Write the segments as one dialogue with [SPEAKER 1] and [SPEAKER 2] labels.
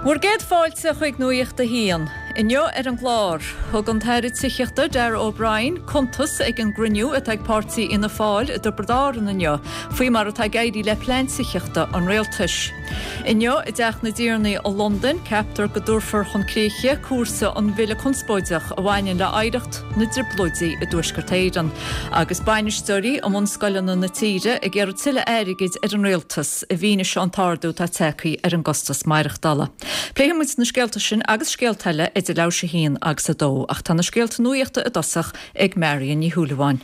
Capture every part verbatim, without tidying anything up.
[SPEAKER 1] Bhur gcéad fáilte chuig Nuacht a hAon. Inniu ar an gclár, thug an tAire Tithíochta Darragh O'Brien cuntas ag an gcruinniú atá ag páirtí Fhianna Fáil i dTiobraid Árann inniu, faoi mar atá ag éirí le plean tithíochta an rialtais. Inniu i dTeach na dTiarnaí i Londain, ceaptar go dtabharfar chun críche cúrsa an bhille conspóideach a bhaineann le hoidhreacht na dTrioblóidí i dTuaisceart Éireann, agus bainisteoirí i mbunscoileanna na tíre ag iarraidh tuilleadh airgid ar an rialtas i bhfianaise an t-ardú atá tagtha ar an gcostas maireachtála. Pléifidh muid na scéalta sin agus scéalta eile idir leathuair tar éis a haon agus a dó, ach tá na scéalta nuachta i dtosach ag Marion Ní Shúilleabháin.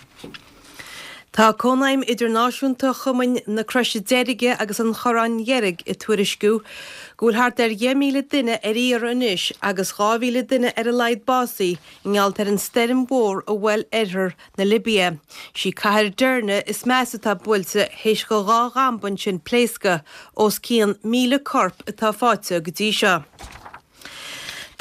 [SPEAKER 2] Tá Cónaidhm Idirnáisiúnta Chumainn na Croise Deirge agus an Chorráin Dheirg ag tuairisciú go bhfuil thart ar dheich míle duine ar iarraidh anois agus dhá mhíle duine ar a laghad básaithe i ngeall ar an stoirm mhór a bhuail oirthear na Libia. Sí cathair Derna is measa atá buailte théis do dhá dhamba ansin pléascadh, os cionn míle corp atá faighte go dtí seo.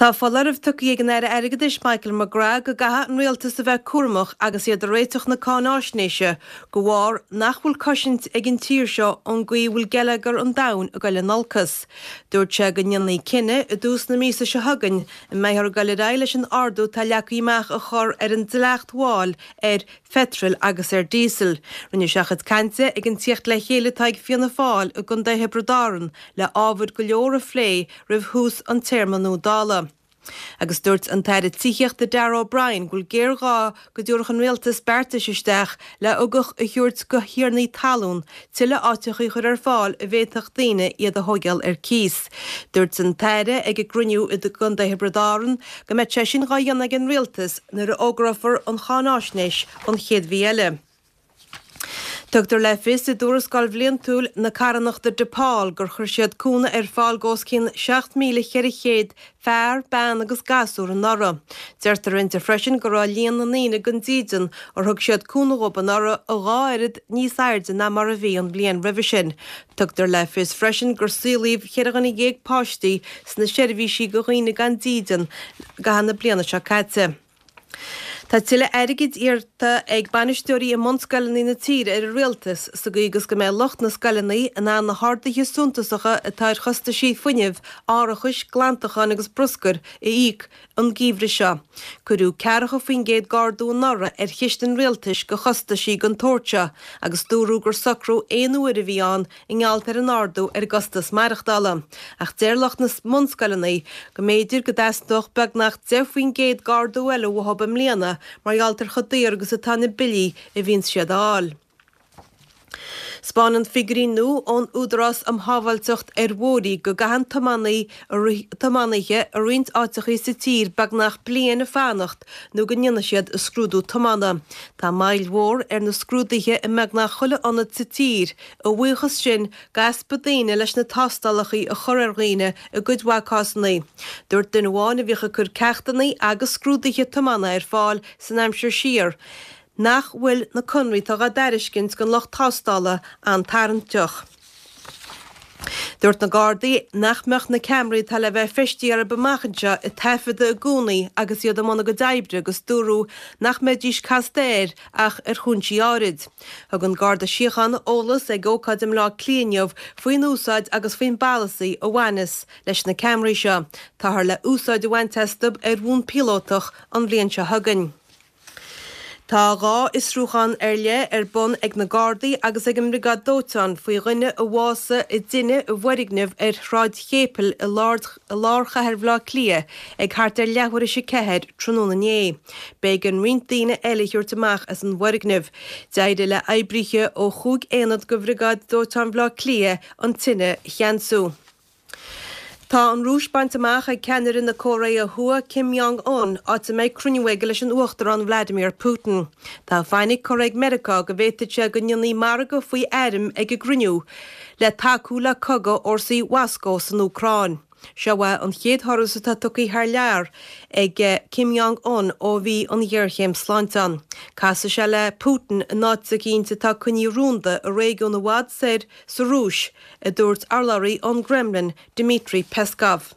[SPEAKER 2] Tá foláireamh tugtha ag an Aire Airgeadais Michael McGrath go gcaithfidh an rialtas a bheith cúramach agus iad ag réiteach na cáináisnéise de bharr nach bhfuil cosaint ag an tír seo ón gcaoi a bhfuil geilleagar an domhain ag dul in olcas. Dúirt sé go ndéanfaí cinneadh i dtús na míosa seo chugainn an mbeifear ag dul ar aghaidh leis an ardú atá leagtha amach a chur ar an dleacht mháil ar pheitreal agus ar dhíosal. Rinne sé a chuid cainte ag an tíocht le chéile atá ag Fianna Fáil i gContae Thiobraid Árann le ábhair go leor a phlé roimh thús an téarma nua Dála. Agus dúirt an tAire Tithíochta Darragh O'Brien go bhfuil géarghá go dtabharfadh an rialtas beartais isteach le ugach a thabhairt do thiarnaí talún tuilleadh áiteacha a chur ar fáil a bhféadfadh daoine iad a thógáil ar cíos. Dúirt an tAire ag an gcruinniú i gContae Thiobraid Árann go mbeidh sé sin dhá dhéanamh ag an rialtas nuair a fhógrófar an cháináisnéis an chéad mhí eile. Tugtar le fios i dtuarascáil bhliantúil na carthanachta DePaul gur chuir siad cúnamh ar fáil d'os cionn seacht míle cheithre chéad fear, bean agus gasúr anuraidh. Deirtear inti freisin go raibh líon na ndaoine gan dídean ar thug siad cúnamh dhóibh anuraidh a dhá oiread níos airde ná mar a bhí an bhliain roimhe sin. Tugtar le fios freisin gur saolaíodh cheithre dhuine dhéag páistí sna seirbhísí do dhaoine gan dídean i gcaitheamh na bliana seo caite. Tá tuilleadh airgid iarrta ag bainisteoirí i mbunscoileanna na tíre ar an rialtas sa gcaoi agus go mbeidh lucht na scoileanna in ann na harduithe suntasacha atá ar chostaisí fuinnimh, árachais, glantacháin agus bruscair a íoc an geimhreadh seo. Cuireadh ceathracha faoin gcéad d'ardú anuraidh ar chiste an rialtais do chostaisí den tsórt seo agus dúradh gur socrú aon uaire a bhí ann i ngeall ar an ardú ar an gcostas maireachtála. Ach deir lucht na mbunscoileanna go mb'fhéidir go dteastódh beagnach deich faoin gcéad d'ardú eile uathu i mbliana mar gheall ar chomh daor agus atá na billí a bhíonn siad a fháil. 'Spáineann figiúirí nua ón Údarás um Shábháilteacht ar Bhóithre go gcaitheann tiománaithe i roinnt áiteacha sa tír beagnach bliain ag fanacht nó go ndéanfaidh siad a scrúdú tiomána. Tá moill mhór ar na scrúduithe i mbeagnach chuile ionad sa tír, a bhuíochas sin d'easpa daoine leis na tástálacha a chur ar dhaoine i gcuid mhaith cásanna. Dúirt duine amháin a bhíodh ag cur ceachtanna agus scrúduithe tiomána ar fáil san aimsir siar nach bhfuil na conraí atá á dtairiscint don lucht tástála an-tarraingteach. Dúirt na Gardaí nach mbeadh na ceamaraí atá le bheith feistithe orthu amach anseo ag taifeadadh i gcónaí agus iad i mbun a gcuid oibre agus dúradh nach mbeidís casta air ach ar chúinsí áirid. Thug an Garda Síochána eolas ag ócáid i mBleá Cliath inniu faoin úsáid agus faoin bpolasaí a bhaineas leis na ceamaraí seo. Táthar le úsáid a bhaint astu ar bhonn píolótach an bhliain seo chugainn. Tá dhá fhiosrúchán ar leith ar bun ag na Gardaí agus ag an mBriogáid Dóiteáin faoi dhuine a bhásaigh i dtine i bhfoirgneamh ar Shráid Chéipil i lár chathair Bhaile Átha Cliath ag thart ar leathuair tar éis a ceathair tráthnóna inné. B'éigean roinnt daoine eile a thabhairt amach as an bhfoirgneamh. D'éirigh le oibrithe ó chúig aonad de Bhriogáid Dóiteáin Bhaile Átha Cliath an tine a cheansú. Tá an Rúis bainte amach ag ceannaire na Cóiré Thuaidh Kim Jong-un, áit a mbeidh cruinniú aige leis an Uachtarán Vladimir Putin. Tá fainic curtha ag Meiriceá go bhféadfadh sé go ndéanfaí margadh faoi airm ag an gcruinniú le tacú le cogadh fhórsaí Mhoscó san Úcráin. Seo é an chéad thuras atá tugtha thar lear ag Kim Jong-un ó bhí an ghéarchéim sláinte ann. Casfaidh sé le Putin in áit eicínt atá coinnithe rúnda i réigiún i bhfad soir sa Rúis, a dúirt urlabhraí ón gCremlin, Dmitry Peskov.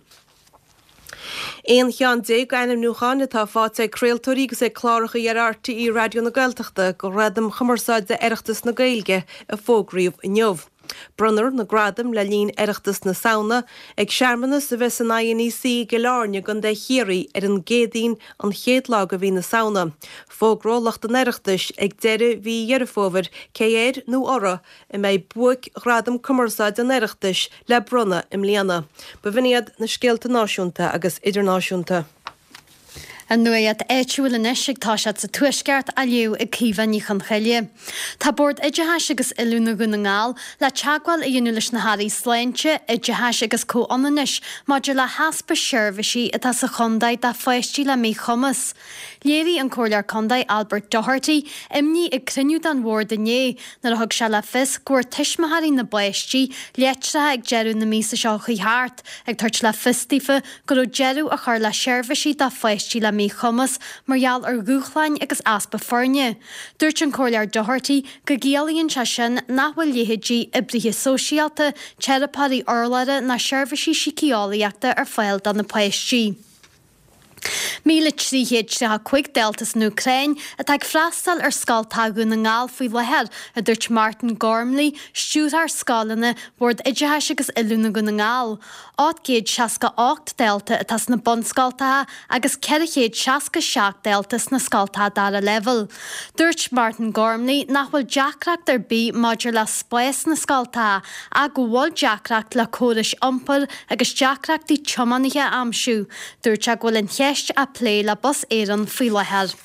[SPEAKER 2] Aon cheann déag d'ainmniúcháin atá faighte ag craoltóirí agus ag cláracha ar RTÉ Raidió na Gaeltachta do Ghradaim Chumarsáide Oireachtas na Gaeilge a fógraíodh inniu. Bronnfar na gradaim le linn Oireachtas na Samhna ag searmanas a bheas san INEC i gCill Airne i gContae Chiarraí ar an gCéadaoin an chéad lá de mhí na Samhna. Fógróidh lucht an Oireachtais ag deireadh mhí Dheireadh Fómhair cé air nó orthu a mbeidh buaic-ghradam cumarsáide an Oireachtais le bronnadh i mbliana. B'in iad na scéalta náisiúnta agus idirnáisiúnta.
[SPEAKER 3] An nuacht áitiúil anois ag toiseacht sa Tuaisceart á léamh ag Caoimhe Ní Chonchoille. Tá Bord Oideachais agus Oiliúna Dhún na nGall le teagmháil a dhéanamh leis na hAirí Sláinte, Oideachais agus Comhionannais maidir le heaspa seirbhísí atá sa chontae do pháistí le míchumas. Léirigh an Comhairleoir Contae Albert Doherty imní ag cruinniú den bhord inné nuair a thug sé le fios go bhfuair tuismitheoirí na bpáistí litreacha ag deireadh na míosa seo chuaigh thart ag tabhairt le fios daofa go raibh deireadh á chur le seirbhísí do pháistí le míchumas mar gheall ar dhúshláin agus easpa foirne. Dúirt an Comhairleoir Doherty go gciallaíonn sé sin nach bhfuil leithéidí oibrithe sóisialta, teiripeoirí urlabhra ná seirbhísí síceolaíochta ar fáil do na páistí. Míle trí chéad tríocha cúig dalta san Úcráin atá ag freastal ar scoltacha Dhún na nGall faoi láthair, a dúirt Martin Gormley, stiúrthóir scoileanna Bhord Oideachais agus Oiliúna Dhún na nGall. Ocht gcéad seasca ocht dalta atá sna bunscoltacha agus ceithre chéad seasca seacht dalta sna scoltacha dara leibhéal. Dúirt Martin Gormley nach bhfuil deacracht ar bith maidir le spás na scoltacha ach go bhfuil deacracht le córais iompair agus deacrachtaí tiománaithe a aimsiú. Dúirt sé go bhfuil an cheist á plé le Bus Éireann faoi láthair.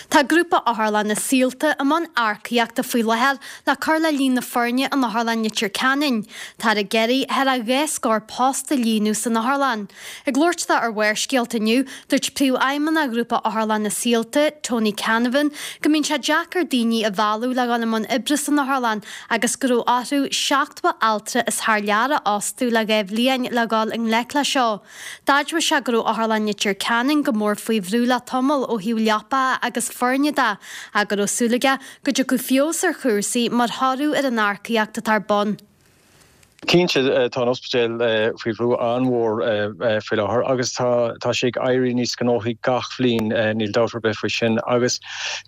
[SPEAKER 3] Tá Grúpa Otharlanna Saolta i mbun earcaíochta faoi láthair le cur le líon na foirne in Otharlann Leitir Ceanainn. Táthar ag iarraidh thar a dhá scór post a líonadh san otharlann. Ag labhairt dó ar Bharrscéalta inniu, dúirt Príomhfheidhmeannach Ghrúpa Otharlanna Saolta, Tony Canavan, go mbíonn sé deacair daoine a mhealladh le dhul i mbun oibre san otharlann agus go raibh orthu seachtó altra as thar lear a fhostú le dhá bhliain le dhul i ngleic leis seo. D'admhaigh sé go raibh Otharlann Leitir Ceanainn go mór faoi bhrú le tamall ó thaobh leapacha agus foirne de, ach go raibh súil aige go dtiocfadh feabhas ar chúrsaí mar thoradh ar an earcaíocht atá ar bun.
[SPEAKER 4] Cinnte tá an ospidéal faoi bhrú an-mhór faoi láthair agus tá tá sé ag éirí níos gnóthaí gach bhliain níl dabht ar bith faoi sin agus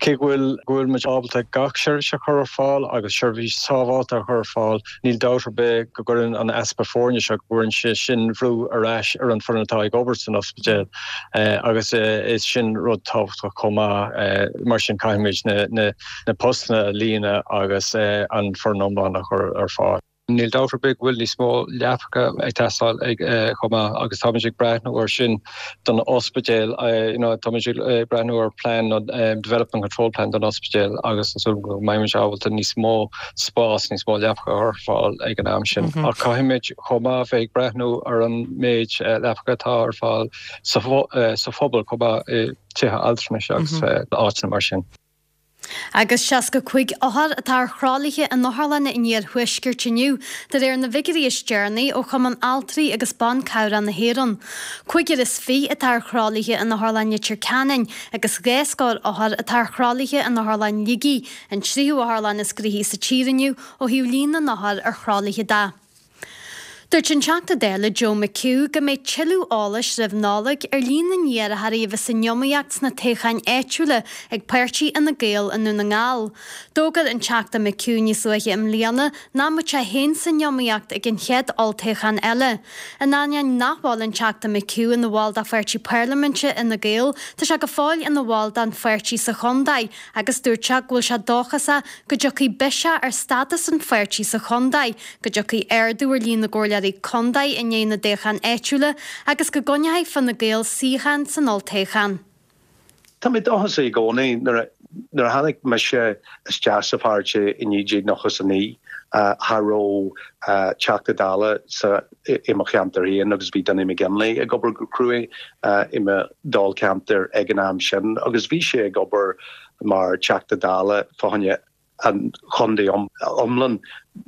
[SPEAKER 4] cé go bhfuil go bhfuil muid ábalta gach seirbhís a chur ar fáil agus seirbhís sábháilte a chur ar fáil níl dabht ar bith go gcuireann an easpa foirne seo go gcuireann sé sin brú ar ais ar an bhfoireann atá ag obair san ospidéal agus is sin rud tábhachtach chomh maith mar sin caithfimid na na na postanna a líonadh agus an foireann iomlán a chur ar fáil. Níl dabht ar bith go bhfuil níos mó leapacha ag teastáil ag chomh maith agus táimid ag breathnú ar sin don ospidéal táimid ag breathnú ar plean development control plan don ospidéal agus go mbeimid ábalta níos mó spás níos mó leapacha a chur ar fáil ag an am sin. Ach caithfimid chomh maith bheith ag breathnú ar an méid leapacha atá ar fáil sa phobal chomh maith i tithe altranais agus áiteanna mar sin.
[SPEAKER 3] Agus seasca cúig othar atá ar thralaithe in otharlanna an iarthuaiscirt inniu, de réir na bhfigiúirí is deireanaí ó Chumann Altraí agus Ban Cabhrach na hÉireann. Cúigear is fiche atá ar thralaithe in Otharlann Leitir Ceanainn agus dhá scór othar atá ar thralaithe in Otharlann Shligigh, an tríú otharlann is gnoithí sa tír inniu ó thaobh líon na n-othar ar thralaithe de. Dúirt an Teachta Dála Joe McHugh go mbeidh tuilleadh eolais roimh Nollaig ar líon na n-iarrthóirí a bheas san iomaíocht sna toghcháin áitiúla ag páirtí Fhine Gael i nDún na nGall. D'fhógair an Teachta McHugh níos luaithe i mbliana nach mbeadh sé féin san iomaíocht ag an chéad olltoghchán eile. In ainneoin nach bhfuil an Teachta McHugh ina bhall de pháirtí parlaiminte Fhine Gael, tá sé go fóill ina bhall den pháirtí sa chontae agus dúirt sé go bhfuil sé dóchasach go dtiocfaidh biseach ar stádas an pháirtí sa chontae, go dtiocfaidh ardú ar líon na gcomhairleoirí contae i ndiaidh na dtoghchán áitiúla agus go gcoinneoidh Fine Gael suíochán san olltoghchán.
[SPEAKER 5] Tá mé dóchasach i gcónaí nuair nuair a tháinig mise isteach sa pháirtí i naoi déag nócha a naoi cha raibh Teachta Dála sa i mo cheantar féin agus bhí Donie McGinley ag obair go cruaidh i mo dháilcheantar ag an am sin agus bhí sé ag obair mar Teachta Dála fá choinne an chontae iomlán.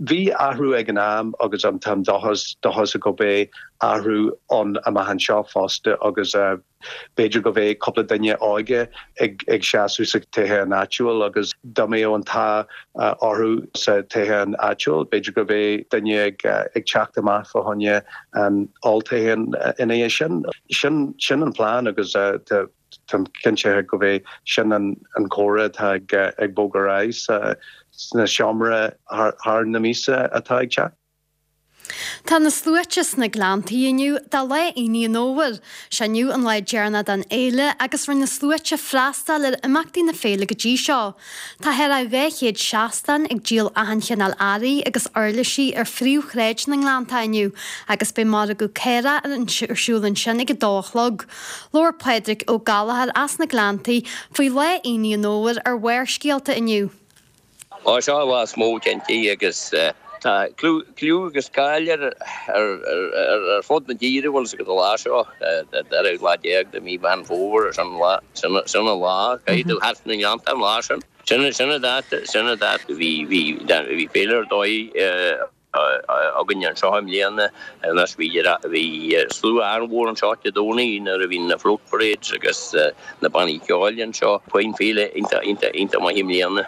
[SPEAKER 5] Bhí athrú ag an am agus an táim dóchas dóchasach go mbeidh athrú ann amach anseo fosta agus b'fhéidir go mbeidh cúpla duine óige ag ag seasamh sa toghchán áitiúil agus dá mbeadh an t-ádh orthu sa toghchán áitiúil, b'fhéidir go mbeidh duine ag ag teacht amach fá choinne an olltoghchán ina dhiaidh sin. Sin sin an plean agus tá Táim cinnte go mbeidh sin an an comhrá atá ag ag bogadh ar aghaidh sa sna seomra thar na míosa atá ag teacht.
[SPEAKER 3] Tá na sluaite sna Gleanntaí inniu do Lá Aonaigh an Fhómhair. Sé inniu an lá deireanach den fhéile agus rinne na sluaite freastal ar imeachtaí na féile go dtí seo. Tá thar a dhá chéad seastán ag díol achan chineál earraí agus uirlisí ar phríomhshráid na nGleanntach inniu agus beidh margadh caorach ar siúl ansin ag a dó a chlog. Labhair Pádraig Ó Gallchóir as na Gleanntaí faoi Lá Aonaigh an Fhómhair ar Bharrscéalta inniu.
[SPEAKER 6] Ó seo lá is mó cinnte agus tá clú agus cáil air ar fud na tíre bhfuil sa go lá seo deireadh lá déag de mí Mheán Fómhair sin sin an lá caithfidh tú thart na nGleannta an lá sin. Sin sin an dáta sin an dáta bhí bhí bhí féile ar dóigh againn anseo i mbliana anois bhí bhí slua an-mhór anseo Dé Domhnaigh nuair a bhí na float parades agus na bannaí ceoil anseo. Faoin féile iontach iontach iontach maith i mbliana.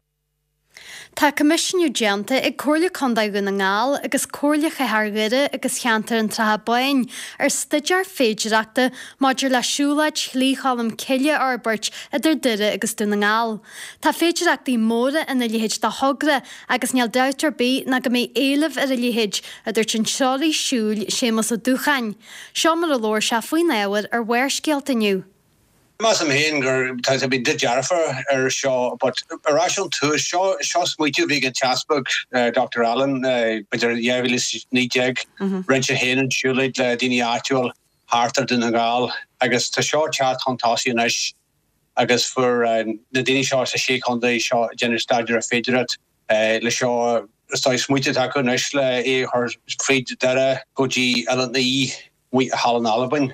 [SPEAKER 3] Tá coimisiúnú déanta ag Comhairle Contae Dhún na nGall agus Comhairle Chathair Dhoire agus Cheantar an tSratha Báin ar staidéar féidearthachta maidir le siúlóid Shlí Cholm Cille a fhorbairt idir Doire agus Dún na nGall. Tá féidearthachtaí móra ina leithéid de thogra agus níl dabht ar bith ná go mbeidh éileamh ar a leithéid, a dúirt an treoraí siúil Séamus Ó Dúcháin. Seo mar a labhair sé faoin ábhar ar Bharrscéalta inniu.
[SPEAKER 7] Measaim féin gur tá sé been dearfa ar seo, but ar ais ón tús seo seo smaoitiú bhí an tEaspag Dr Allen b'fhéidir dhá mhíle is naoi déag rinne sé féin an siúlóid le daoine áitiúil thart ar Dún na nGall agus tá seo teacht chun tosaigh anois agus fuair na daoine seo sa sé chontae seo déanamh staidéar ar féidearthacht le seo is tá smaointe acu anois le é a chur fríd Doire go dtí Oileán Í thall in Albain.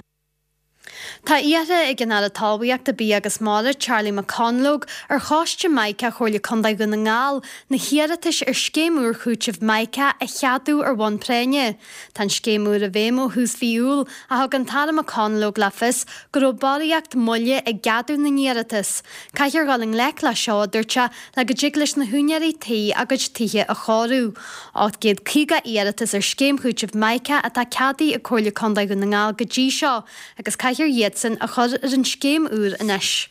[SPEAKER 3] Tá iarrtha ag an Aire Talmhaíochta Bia agus Mara, Charlie McConalogue, ar Choiste Mica Chomhairle Contae Dhún na nGall na hiarratais ar scéim úr chúitimh Mica a cheadú ar bhonn práinne. Tá an scéim úr i bhfeidhm ó thús mhí Iúil ach thug an tAire McConalogue le fios go raibh barraíocht moille i gceadú na n-iarratas. Caithfear dul i ngleic le seo, a dúirt sé, le go dtig leis na húinéirí tí a gcuid tithe a chóiriú. ocht gcéad caoga iarratas ar scéim chúitimh Mica atá ceadaithe ag Comhairle Contae Dhún na nGall go dtí seo agus caithfear iadsan a chur ar an scéim úr anois.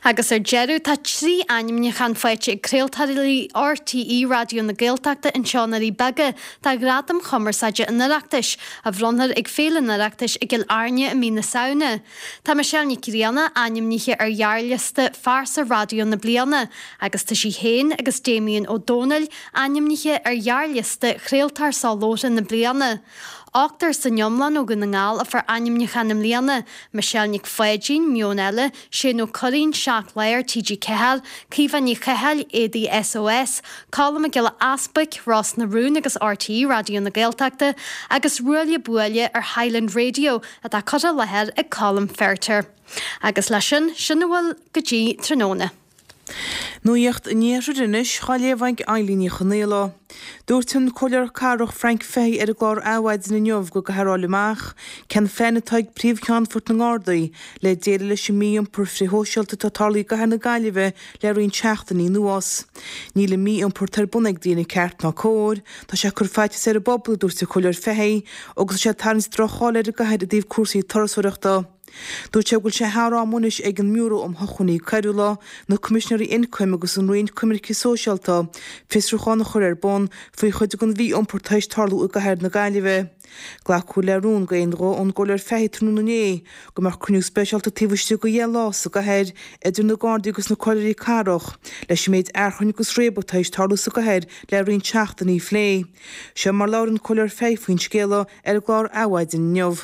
[SPEAKER 3] Agus ar deireadh tá trí ainmniúchán faighte ag craoltóirí RTÉ Raidió na Gaeltachta anseo i nDoirí Beaga do Ghradaim Chumarsáide an Oireachtais, a bhronnfar ag Féile an Oireachtais i gCill Airne i mí na Samhna. Tá Michelle Nic Grianna ainmnithe ar ghearrliosta Phearsa Raidió na Bliana agus tá sí féin agus Damien Ó Dónaill ainmnithe ar ghearrliosta Chraoltóir Soláthair na Bliana. Ochtar san iomlán ó Dhún na nGall a fuair ainmniúchán i mbliana, Michelle Nic Pháidín, Meon Eile, Shane Ó Curraoin, Seacht Lá ar TG Ceathair, Caoimhe Ní Chathail, Éadaí SOS, Colm Mac Giolla Easbuic, Ros na Rún agus RTÉ Raidió na Gaeltachta, agus Ruaille Buaille ar Highland Radio atá curtha i láthair ag Colm Feirtéar. Agus leis sin, sin a bhfuil go dtí tráthnóna.
[SPEAKER 8] Nuacht an Iarthair anois, á léamh ag Eilín Ní Chonaola. Dúirt an Comhairleoir Cathrach Frank Fahey ar an gclár Adhmhaidin inniu go gcaithfear a fháil amach cén plean atá ag Príomh-Cheannfort na nGardaí le déileáil leis an mí-iompar frithshóisialta atá tarlaithe i gcathair na Gaillimhe le roinnt seachtainí anuas. Níl an mí-iompar atá ar bun ag daoine ceart ná cóir, tá sé ag cur faitíos ar an bpobal, a dúirt an Comhairleoir Fahey, agus tá sé ag tarraingt droch-cháil ar an gcathair i dtaobh cúrsaí turasóireachta. Dúirt sé go bhfuil sé thar am anois ag an mBiúró um Shócmhainní Coiriúla, na Coimisinéirí Ioncaim agus an Roinn Coimirce Sóisialta fiosrúchán a chur ar bun faoi chuid den mhí-iompar tar éis tarlú i gcathair na Gaillimhe. Glacadh le rún d'aon ghuth ón gComhairleoir Fahey tráthnóna inné go mbeadh cruinniú speisialta taobh istigh de dheich lá sa gcathair idir na Gardaí agus na Comhairleoirí Cathrach leis an méid achrainn agus réabadh tar éis tarlú sa gcathair le roinnt seachtainí a phlé. Seo mar labhair an Comhairleoir Fahey faoin scéala ar an gclár Adhmhaidin inniu.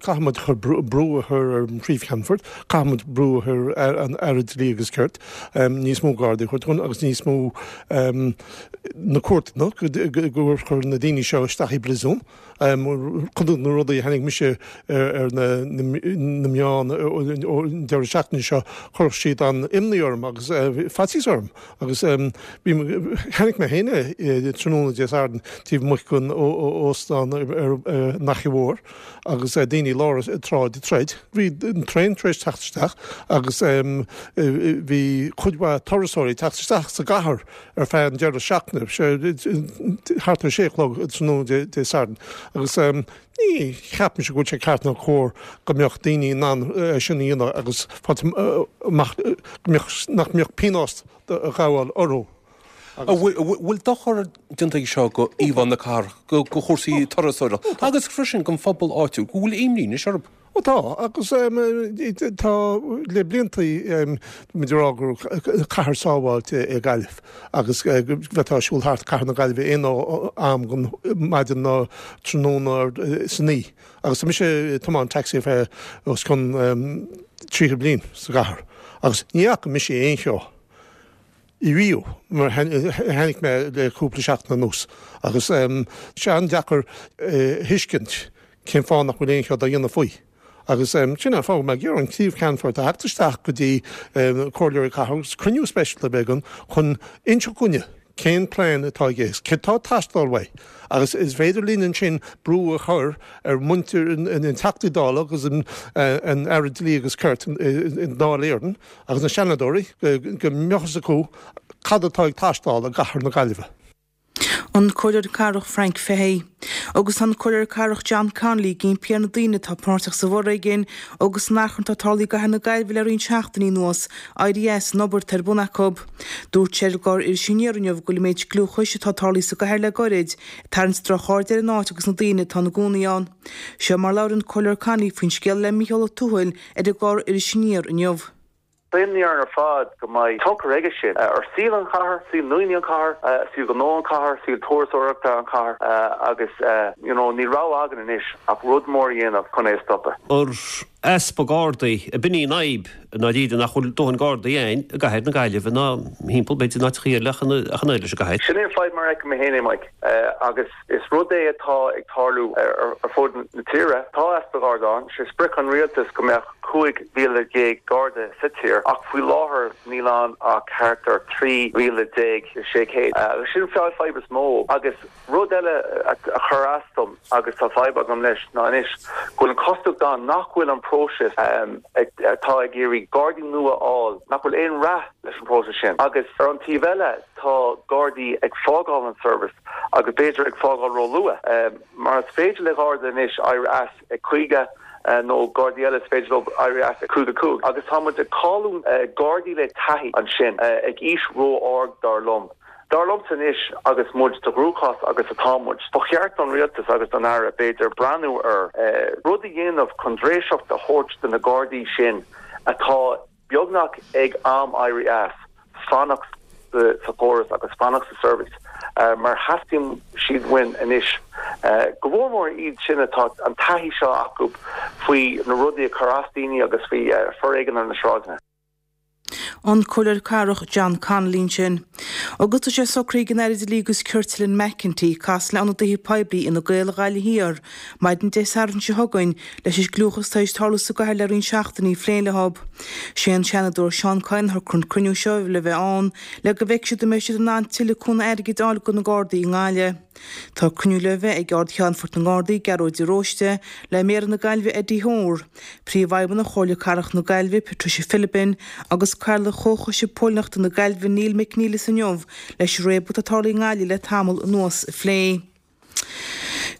[SPEAKER 9] Caithfimid chur brú a chur ar an phríomh-cheannfort, caithfimid brú a chur ar an Aire Dlí agus Cirt, níos mó Gardaí a chur agus níos mó na cúirteanna go chur na daoine seo isteach i bpríosún. Chun na rudaí a tháinig mise ar na meáin an deireadh seachtaine seo, chuir siad an imní orm agus faitíos orm agus tháinig mé féin tráthnóna Dé Sathairn taobh amuigh den óstán ar an Fhaiche Mhór agus daoine daoine i lár an tsráid ag troid. Bhí an traein tar éis teacht isteach agus bhí cuid mhaith turasóirí ag teacht isteach sa gcathair ar feadh an deireadh seachtaine, thart ar sé a chlog tráthnóna Dé Sathairn. Agus ní cheapaimse go bhfuil sé ceart ná cóir go mbeadh daoine in ann é sin a dhéanamh agus amach go mbeadh nach mbeadh pionós ag gabháil orthu.
[SPEAKER 10] An bhfuil dochar déanta aige seo go íomhá na cathrach, go chúrsaí turasóireachta agus freisin don phobal áitiúil, go bhfuil imní anois orthu?
[SPEAKER 9] Ó tá, agus tá le blianta muid ag rá gur cathair sábháilte é Gaillimh agus bheifeá ag siúl thart cathair na Gaillimhe aon am den maidin ná tráthnóna san oíche. Agus tá mise ag tiomáint taxi ar feadh os cionn tríocha bliain sa gcathair agus ní fhaca mise aon cheo. Riamh mar a chonaic mé le cúpla seachtain anuas agus tá sé an-deacair a thuiscint cén fáth nach bhfuil aon cheo dá dhéanamh faoi. Agus sin an fáth go mbeidh ag iarraidh an Príomh-Cheannfort a theacht isteach go dtí Comhairleoirí Cathrach agus cruinniú speisialta a bheith againn chun inseacht dhúinne cén plean atá aige agus céard atá ag teastáil uaidh agus is féidir linn ansin brú a chur ar mhuintir na dTeachtaí Dála agus an Aire Dlí agus Cirt i nDáil Éireann agus na Seanadóirí go mbeadh fhios acu cad atá ag teastáil i gcathair na Gaillimhe.
[SPEAKER 8] An Comhairleoir Cathrach Frank Fahey. Agus tá an Comhairleoir Cathrach John Connolly ag impí ar na daoine atá páirteach sa bhforéigean agus san achrann atá tarlaithe i gcathair na Gaillimhe le roinnt seachtainí anuas éirí as an obair atá ar bun acu. Dúirt sé ar an gclár Iris Aniar inniu go bhfuil an méid gliúchais atá tarlaithe sa gcathair le goirid ag tarraingt drochaird ar an áit agus na daoine atá ina gcónaí ann. Seo mar labhair an Comhairleoir Connolly faoin scéal le Mícheál Ó Tuathail ar an gclár Iris Aniar inniu.
[SPEAKER 11] Tá imní orainn ar fad go mbeidh tionchar aige sin ar saol an chathair, saol ndaoine an chathair, saol gnó an chathair, saol turasóireachta an chathair agus you know níl rogha againn anois ach rud mór a dhéanamh chun é a stopadh.
[SPEAKER 12] Ar easpa Gardaí, ab in í an fhadhb i ndáiríre nach bhfuil dóthain Gardaí ann i gcathair na Gaillimhe ná thimpeall b'fhéidir in áiteachaí eile ach an oiread leis an gcathair.
[SPEAKER 11] Sin é an fadhb mar a fheicim féin é Mike agus is rud é atá ag tarlú ar fud na tíre. Tá easpa Garda ann, sé sprioc an rialtais go mbeadh cúig mhíle déag Garda sa tír ach faoi láthair níl ann ach thart ar trí mhíle déag sé chéad. Agus sin an fadhb is mó. Agus rud eile a chuir as dom agus tá fadhb agam leis ná anois go bhfuil an chosúlacht ann nach bhfuil an próiseas atá ag iarraidh Gardaí nua a fháil, nach bhfuil aon rath leis an bpróiseas sin. Agus ar an taobh eile tá Gardaí ag fágáil an service agus b'fhéidir ag fágáil ró-luath. Mar is féidir le Garda anois éirí as ag caoga nó Gardaí eile is féidir leo éirí as ag caoga cúig agus tá muid ag cailliúint Gardaí le taithí ansin ag aois ró-ard dar liom. Dar liomsa anois agus muid sa gcruachás agus atá muid, ba cheart don Rialtas agus don Aire b'fhéidir breathnú ar rud a dhéanamh chun dréiseacht a thabhairt do na Gardaí sin atá beagnach ag am éirí as, fanacht sa chóras agus fanacht sa service mar theastaíonn siad uainn anois, go mór mór iad sin atá an taithí seo acu faoi na rudaí a chur as daoine agus faoi foréigean ar na sráideanna.
[SPEAKER 8] An Comhairleoir Cathrach John Connolly ansin. Agus tá sé socraithe ag an Aire Dlí agus Cirt Helen McEntee casadh le ionadaithe poiblí Fhine Gael Ghaillimh Thiar maidin Dé Sathairn seo chugainn leis an gcliúchas atá tar éis tarlú sa gcathair le roinnt seachtainí a phlé leo. Sé an Seanadóir Seán Kyne a shocraigh an cruinniú seo le bheith ann le go bhfeicfidh siad an mbeidh siad in ann tuilleadh cúnamh airgid a fháil do na Gardaí i nGaillimh. Tá cruinniú le bheith ag Ard-Cheannfort na nGardaí, Gearóid de Róiste, le Méara na Gaillimhe Eddie Hoare, Príomhfheidhmeannach Chomhairle Cathrach na Gaillimhe Patricia Philbin agus Cathaoirleach Chomhchoiste Póilíneachta na Gaillimhe Neil McNeilus inniu leis an réabadh atá tarlaithe i nGaillimh le tamall anuas a phlé.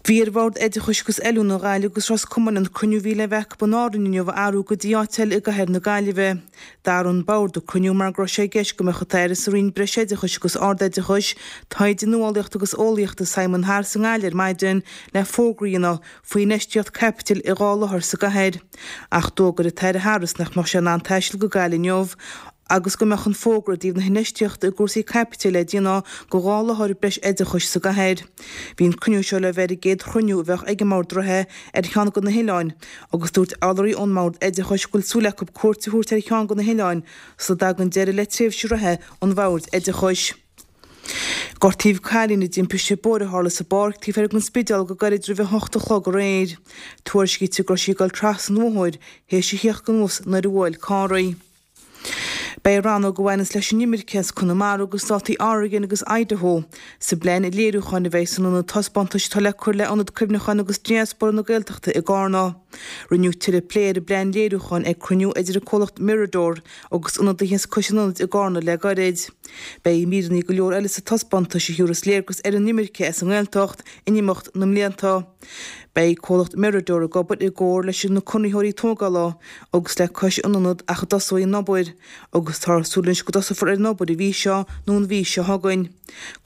[SPEAKER 8] Bhí ar Bhord Oideachais agus Oiliúna Ghaillimh agus Ros Comáin an cruinniú a bhí le bheith acu in Árainn inniu a athrú go dtí áit eile i gcathair na Gaillimhe. D'athraigh an Bord an cruinniú mar go raibh sé i gceist go mbeadh an tAire sa Roinn Breisoideachais agus Ardoideachais, Taighde, Nuálaíochta agus Eolaíochta Simon Harris i nGaillimh ar maidin le fógra a dhéanamh faoi infheistíocht caipitil i dhá láthair sa gcathair. Ach d'fhógair an tAire Harris nach mbeadh sé in ann taisteal go Gaillimh inniu agus go mbeadh an fógra i dtaobh na hinfheistíochta i gcúrsaí caipitil le déanamh do dhá láthair breis oideachais sa gcathair. Bhí an cruinniú seo le bheith ar an gcéad chruinniú a bheadh ag an mBord reatha ar cheann de na hoileáin agus dúirt urlabhraí ón mBord Oideachais go bhfuil súil acu cuairt a thabhairt ar cheann de na hoileáin sula dtagann deireadh le tréimhse reatha an Bhoird Oideachais. Gortaíodh cailín i dtimpiste bóthair a tharla sa bpáirc taobh thoir den Spidéal go gairid roimh a hocht a chlog aréir. Tuairiscítear go raibh sí ag dul trasna an bhóthair théis a theacht anuas nuair a bhuail carr í. Beidh rannóg a bhaineas leis an imirce as Conamara agus státaí Oregon agus Idaho sa bplean léiriúcháin a bheidh san ionad taispeántais atá le cur le Ionad Cuimhneacháin agus Diaspóra na Gaeltachta i gCarna. Rinneadh tuilleadh plé ar an bplean léiriúcháin ag cruinniú idir an comhlacht Mirador agus ionadaithe as cois an ionaid i gCarna le gairid. Beidh míreanna go leor eile sa taispeántas a thabharfas léargas ar an imirce as an nGaeltacht in imeacht na mblianta. Beidh comhlacht Mirador ag obair i gcomhar leis na conraitheoirí tógála agus le cois an ionad ach a dtosóidh an obair, agus táthar ag súil anois go dtosófar ar an obair an mhí seo nó an mhí seo chugainn.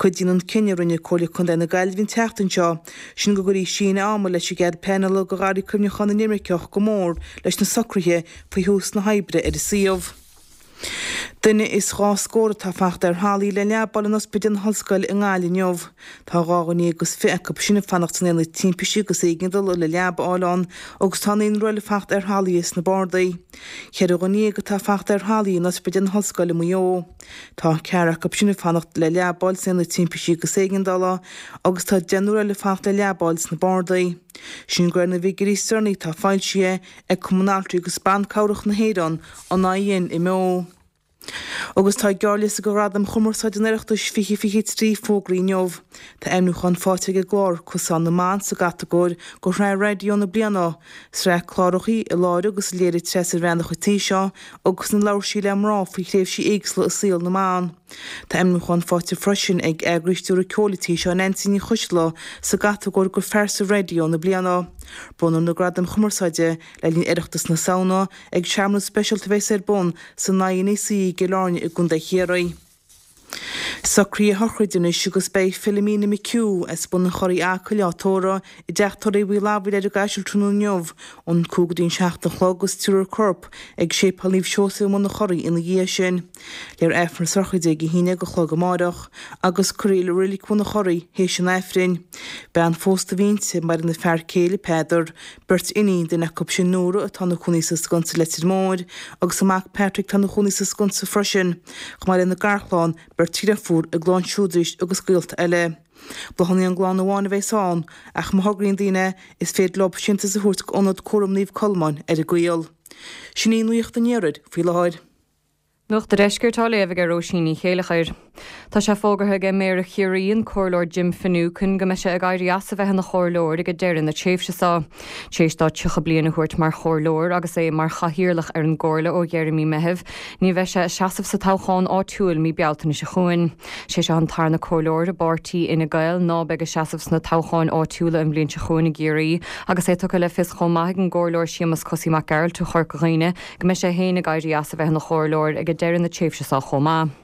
[SPEAKER 8] Cuidíonn an cinneadh a rinne Comhairle Contae na Gaillimhe an tseachtain seo, sin go gcuirfí síneadh ama leis an gcead pleanála do Gharraí Cuimhneacháin na nImirceach go mór leis na socruithe faoi thús na hoibre ar an suíomh. Duine is dhá scór atá fachta ar thralaí le leaba a fháil in Ospidéal na hOllscoile i nGaillimh inniu. Tá dhá dhuine déag agus fiche acu sin ag fanacht san aonad timpistí agus éigeandála le leaba a fháil ann agus tá naonúr eile fachta ar thralaithe sna bardaí. Ceithre dhuine dhéag atá fachta ar thralaí in Ospidéal na hOllscoile i Maigh Eo. Tá ceathrar acu sin ag fanacht le leaba a fháil san aonad timpistí agus éigeandála agus tá deichniúr eile ag fanacht le leaba a fháil sna bardaí. Sin de réir na bhfigiúirí is deireanaí atá foilsithe ag Cumann Altraí agus Ban Cabhrach na hÉireann, an INMO. Agus tá gearrliosta do Ghradaim Chumarsáide an Oireachtais fiche fiche trí fógraithe inniu. Tá ainmniúchán faighte ag an gclár Cosán na mBan sa gcatagóir do Shraith Raidió na Bliana, sraith cláracha a láithrigh agus a léirigh Treasa Bhreathnach an tí seo agus ina labhair sí le mná faoi thréimhsí éagsúla i saol na mban. Tá ainmniúchán faighte freisin ag eagraí stiúradh ceoil an tí seo Neansaí Ní Choisdealbha sa gcatagóir do Phearsa Raidió na Bliana. Bronnfar na Gradaim Chumarsáide le linn Oireachtas na Samhna ag searmanas speisialta a bheas ar bun san INEC i gCill Airne i gContae Chiarraí. Socruithe a shochraide anois agus beidh Philomena McHugh as Bun an Churraigh Acaill á tórramh i dteach tórraimh Uí Fhlathbhaile ar an gCaiseal tráthnóna inniu ón cúig go dtí an seacht a chlog agus tabharfar a corp ag Séipéal Naomh Seosamh i mBun an Churraigh ina dhiaidh sin. Léifear Aifreann na sochraide ag a haon déag a chlog amáireach agus cuirfear í i Reilig Bhun an Churraigh théis an Aifrinn. Bean phósta a bhí inti, maireann a fear céile Peadar, beirt iníon, duine acu sin Nóra atá ina cónaí sa Sconsa Leitir Móir agus a mac Patrick atá ina chónaí sa Sconsa freisin, chomh maith lena garchlann, beirt dheirfiúr, a gclann siúd arís agus gaolta eile. Bláthanna ón gclann amháin a bheas ann, ach má thograíonn daoine, is féidir leo síntiús a thabhairt go Ionad Cúraim Naomh Colmán ar an gCaol. Sin í nuacht an iarthair faoi láthair.
[SPEAKER 13] Nuacht an Deiscirt á léamh ag Róisín Ní Chéilleachair. Tá sé fógartha ag Méara Chiarraí, an Comhairleoir Jim Finucane, go mbeidh sé ag éirí as a bheith ina chomhairleoir ag deireadh na tréimhse seo. Tar éis dó tríocha bliain a thabhairt mar chomhairleoir agus é mar chathaoirleach ar an gcomhairle ó dheireadh mí Meithimh, ní bheidh sé ag seasamh sa toghchán áitiúil mí Bealtaine seo chugainn. Sé seo an tarna comhairleoir i bpáirtí Fhine Gael ná beidh ag seasamh sna toghcháin áitiúla an bhliain seo chugainn i gCiarraí agus é tugtha le fios chomh maith ag an gComhairleoir Séamus Cosaí Mac Gearailt ó Chorca Dhuibhne go mbeidh sé féin ag éirí as a bheith ina chomhairleoir ag deireadh na tréimhse seo chomh maith.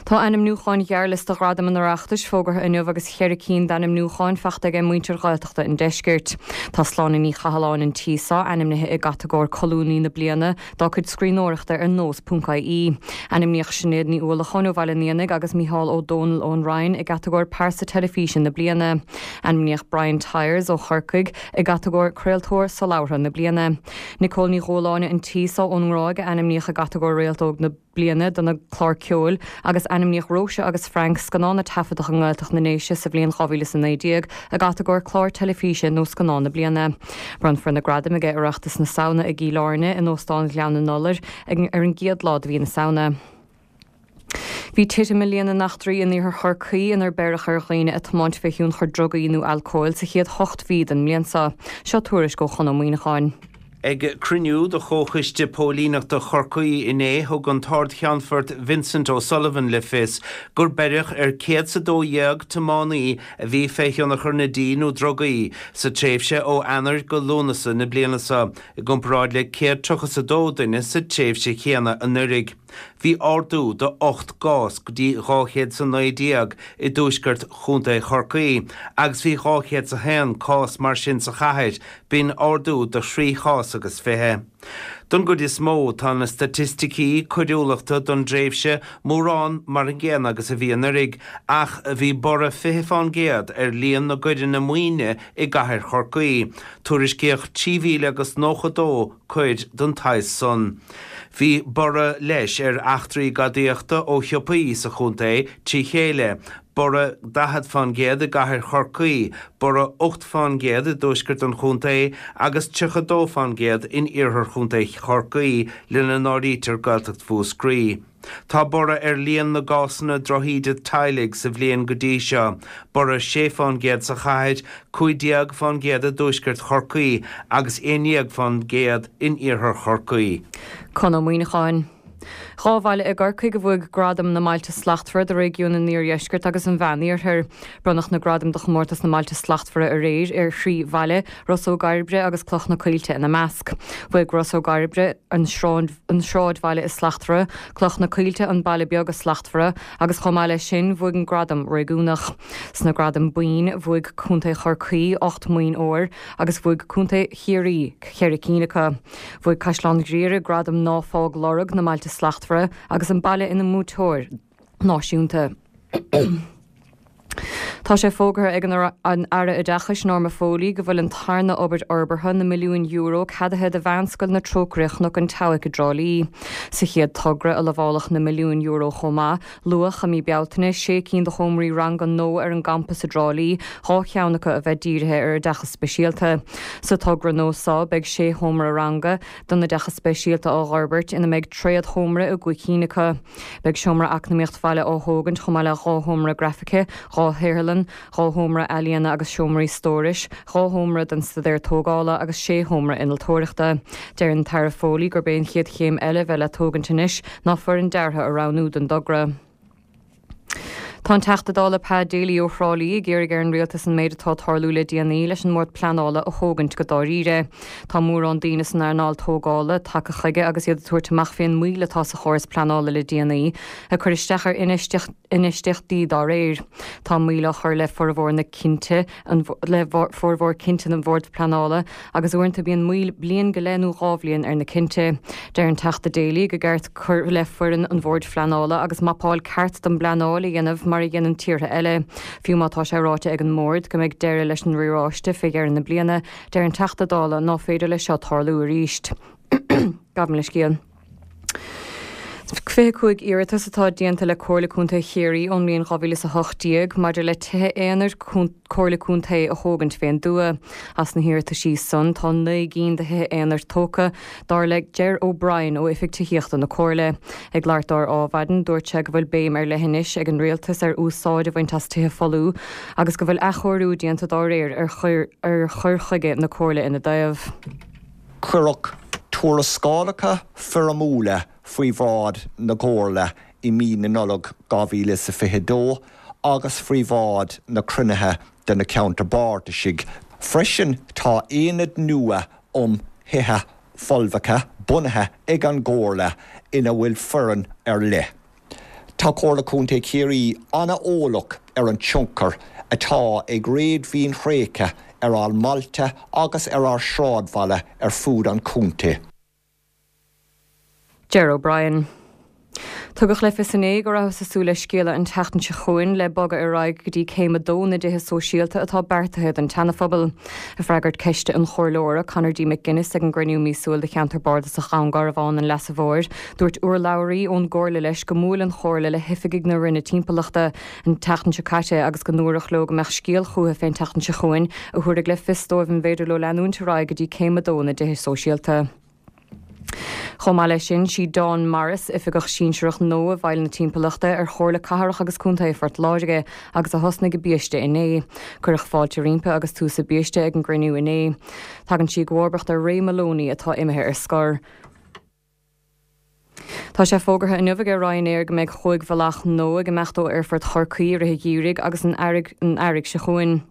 [SPEAKER 13] Tá ainmniúcháin ghearrliosta Ghradaim an Oireachtais fógartha inniu agus cheithre cinn d'ainmniúcháin faighte ag muintir Ghaeltachta an Deiscirt. Tá Sláine Ní Chathalláin an tí seo ainmnithe i gcatagóir Colúnaí na Bliana dá cuid scríbhneoireachta ar nós ponc ie. Ainmníodh Sinéad Ní Uallacháin ó Bhaile an Éanaigh agus Mícheál Ó Dónaill ón Rinn i gcatagóir Pearsa Teilifíse na Bliana. Ainmníodh Brian Tyers ó Chorcaigh i gcatagóir Craoltóir Solabhartha na Bliana. Nicole Ní Dhúláine an tí seo ón nGráig a ainmníodh i gcatagóir Réalt Óg na Bliana dona clár ceoil agus ainmníodh Róise agus Frank scannán a taifeadadh i nGaeltacht na nDéise sa bhliain dhá mhíle is a naoi déag i gcatagóir Clár Teilifíse nó Scannán na Bliana. Bronnfar na gradaim ag Oireachtas na Samhna i gCill Airne in Óstán Ghleann na nIolar ar an gcéad lá de mhí na Samhna. Bhí titim i líon na n-eachtraí in iarthar Chorcaí inar beireadh ar dhaoine ag tiomáint fé thionchar drugaí nó alcóil sa chéad hocht mhí den mbliain seo. Seo tuairisc ó Chon Ó Muíneacháin.
[SPEAKER 14] Ag cruinniú de Chomhchoiste Póilíneachta Chorcaí inné, thug an tArd-Cheannfort Vincent O'Sullivan le fios gur beireadh ar céad 's a dó dhéag tiománaí a bhí fé thionchar na dí nó drugaí sa tréimhse ó Eanáir go Lúnasa na bliana seo, i gcomparáid le céad tríocha 's a dó duine sa tréimhse chéanna anuraidh. Bhí ardú de ocht gcás go dtí dhá chéad 's a naoi déag i dtuaisceart Chontae Chorcaí agus bhí dhá chéad 's a haon cás mar sin sa chathair, b'in ardú de thrí chás agus fiche. Don gcuid is mó, tá na staitisticí coiriúlachta don dtréimhse mórán mar an gcéanna agus a bhí anuraidh, ach bhí borradh fiche fán gcéad ar líon na gcoireanna maoine i gcathair Chorcaí. Tuairiscíodh trí mhíle agus nócha dó coir den tsaghas san. Bhí borradh leis ar eachtraí gadaíochta ó shiopaí sa chontae trí chéile, Borradh daichead fán gcéad i gcathair Chorcaí, borradh ocht fán gcéad i dtuaisceart an chontae agus tríocha dó fán gcéad in iarthar chontae Chorcaí, lena n-áirítear Gaeltacht Mhúscraí. Tá borradh ar líon na gcásanna drochíde teaghlaigh sa bhliain go dtí seo, borradh sé fán gcéad sa chathair, cúig déag fán gcéad i dtuaisceart Chorcaí agus aon déag fán gcéad in iarthar Chorcaí.
[SPEAKER 13] Conn Ó Muíneacháin. Dhá bhaile i gCorcaigh a bhuaigh Gradam na mBailte Slachtmhara do réigiún an Iardheiscirt agus an Mheániarthair. Bronnadh na gradaim do chomórtas na mBailte Slachtmhara aréir ar thrí bhaile, Ros Ó gCairbre agus Cloch na Coillte ina measc. Bhuaigh Ros Ó gCairbre an Sráidbhaile is Slachtmhara, Cloch na Coillte an Baile Beag is Slachtmhara agus chomh maith leis sin bhuaigh an gradam réigiúnach. Sna gradaim boinn bhuaigh Contae Chorcaí ocht mboinn óir agus bhuaigh Contae Chiarraí ceithre cinn acu. Bhuaigh Caisleán Ghriaire gradam Ná Fág Lorg na mBailte Slachtmhara agus an baile ina mbuaiteoir náisiúnta. Tá sé fógartha ag an Aire Oideachais Norma Foley go bhfuil an tarna obair fhorbartha na milliúin euro ceadaithe do Mheánscoil na Trócaire Chnoc an tSeabhaic i dTrá Lí. Sa chéad togra a lamhálfadh na milliúin euro chomh maith, luadh i mí Bealtaine sé cinn de sheomraí ranga nua ar an gcampas i dTrá Lí, dhá cheann acu a bheith dírithe ar oideachas speisialta. Sa togra nua seo beidh sé sheomra ranga don oideachas speisialta á bhforbairt ina mbeidh tréadsheomra i gcúig cinn acu. Beidh seomra eacnamaíocht bhaile á thógaint chomh maith le dhá sheomra grafaice, dhá shaotharlann, dhá sheomra ealaíona agus seomraí stórais, dhá sheomra don staidéar tógála agus sé sheomra innealtóireachta. Deir an tAire Foley gurb é an chéad chéim eile a bheidh le tógaint anois ná foireann deartha a roghnú don dtogra. Tá an Teachta Dála Pa Daly ó Thrá Lí ag iarraidh ar an Rialtas an méid atá ag tarlú le déanaí leis an mBord Pleanála a thógaint go dáiríre. Tá mórán daoine san earnáil tógála tagtha chuige agus iad ag tabhairt amach fén moill atá sa chóras pleanála le déanaí, ag cur isteach ar infheistíochtaí dá réir. Tá moill á chur le formhór na cinnte le formhór cinnte an Bhoird Pleanála agus uaireanta bíonn moill bliain go leith nó dhá bhliain ar na cinnte. Deir an Teachta Daly go gceart cur le foireann an Bhoird Phleanála agus mapáil ceart don bpleanáil a dhéanamh mar a dhéanann tíortha eile. Fiú má tá sé ráite ag an mBord go mbeidh deireadh leis an riaráiste fé dheireadh na bliana, deir an Teachta Dála ná féidir leis seo tarlú arís. Gabhaim leithscéal. fiche cúig iarratas atá déanta le Comhairle Contae Chiarraí ón mbliain dhá mhíle is a hocht déag maidir le tithe aonair Comhairle Contae a thógaint fén dtuath. As na hiarrataisí san tá naoi gcinn de thithe aonair tógtha, dar le Ger O'Brien ó Oifig Tithíochta na Comhairle. Ag labhairt dó ar Ádhmhaidin, dúirt sé go bhfuil béim ar leith anois ag an Rialtas ar úsáid a bhaint as tithe folmha agus go bhfuil athchóiriú déanta dá réir ar chur chuige na Comhairle ina dtaobh.
[SPEAKER 15] Cuireadh tuarascálacha foirmiúla faoi bhráid na Comhairle i mí na Nollag dhá mhíle is a fiche dó agus faoi bhráid na cruinnithe de na Ceantair Bardais. Freisin tá aonad nua um thithe folmha bunaithe ag an gComhairle ina bhfuil foireann ar leith. Tá Comhairle Contae Chiarraí an-eolach ar an tionchar atá ag réadmhaoin thréigthe ar ár mbailte agus ar ár sráidbhaile ar fud an chontae.
[SPEAKER 13] Ger O'Brien. Tugadh le fios inné go rabhthas ag súil le scéala an tseachtain seo chugainn le bogadh ar aghaidh go dtí céim a dó na dtithe sóisialta atá beartaithe don tSeanaphobal. Ag freagairt ceiste an Chomhairleora Conor D. McGuinness ag an gcruinniú míosúil de Cheantar Bardasach Dhún Garbhán an Leasa Mhóir, dúirt urlabhraí ón gComhairle leis go mbuail an Chomhairle le hoifigigh na Roinne Timpeallachta an tseachtain seo caite agus go ndúradh leo go mbeadh scéal chucu fén tseachtain seo chugainn a thabharfadh le fios dóibh an bhféidir leo leanúint ar aghaidh go dtí céim a dó na dtithe sóisialta. Chomh maith leis sin, sí Dawn Morris, Oifigeach Sinsearach nua i bhfeighil na Timpeallachta ar Chomhairle Cathrach agus Contae Phort Láirge agus a thosnaigh i biaiste inné. Cuireadh fáilte roimpi agus tús a biaiste ag an gcruinniú inné. Tagann sí i gcomharbacht ar Ray Moloney atá imithe ar scor. Tá sé fógartha inniu ag Ryanair go mbeidh chúig bhealach nua ag imeacht ó Aerfort Chorcaí i rith an gheimhridh agus an earraigh seo chugainn.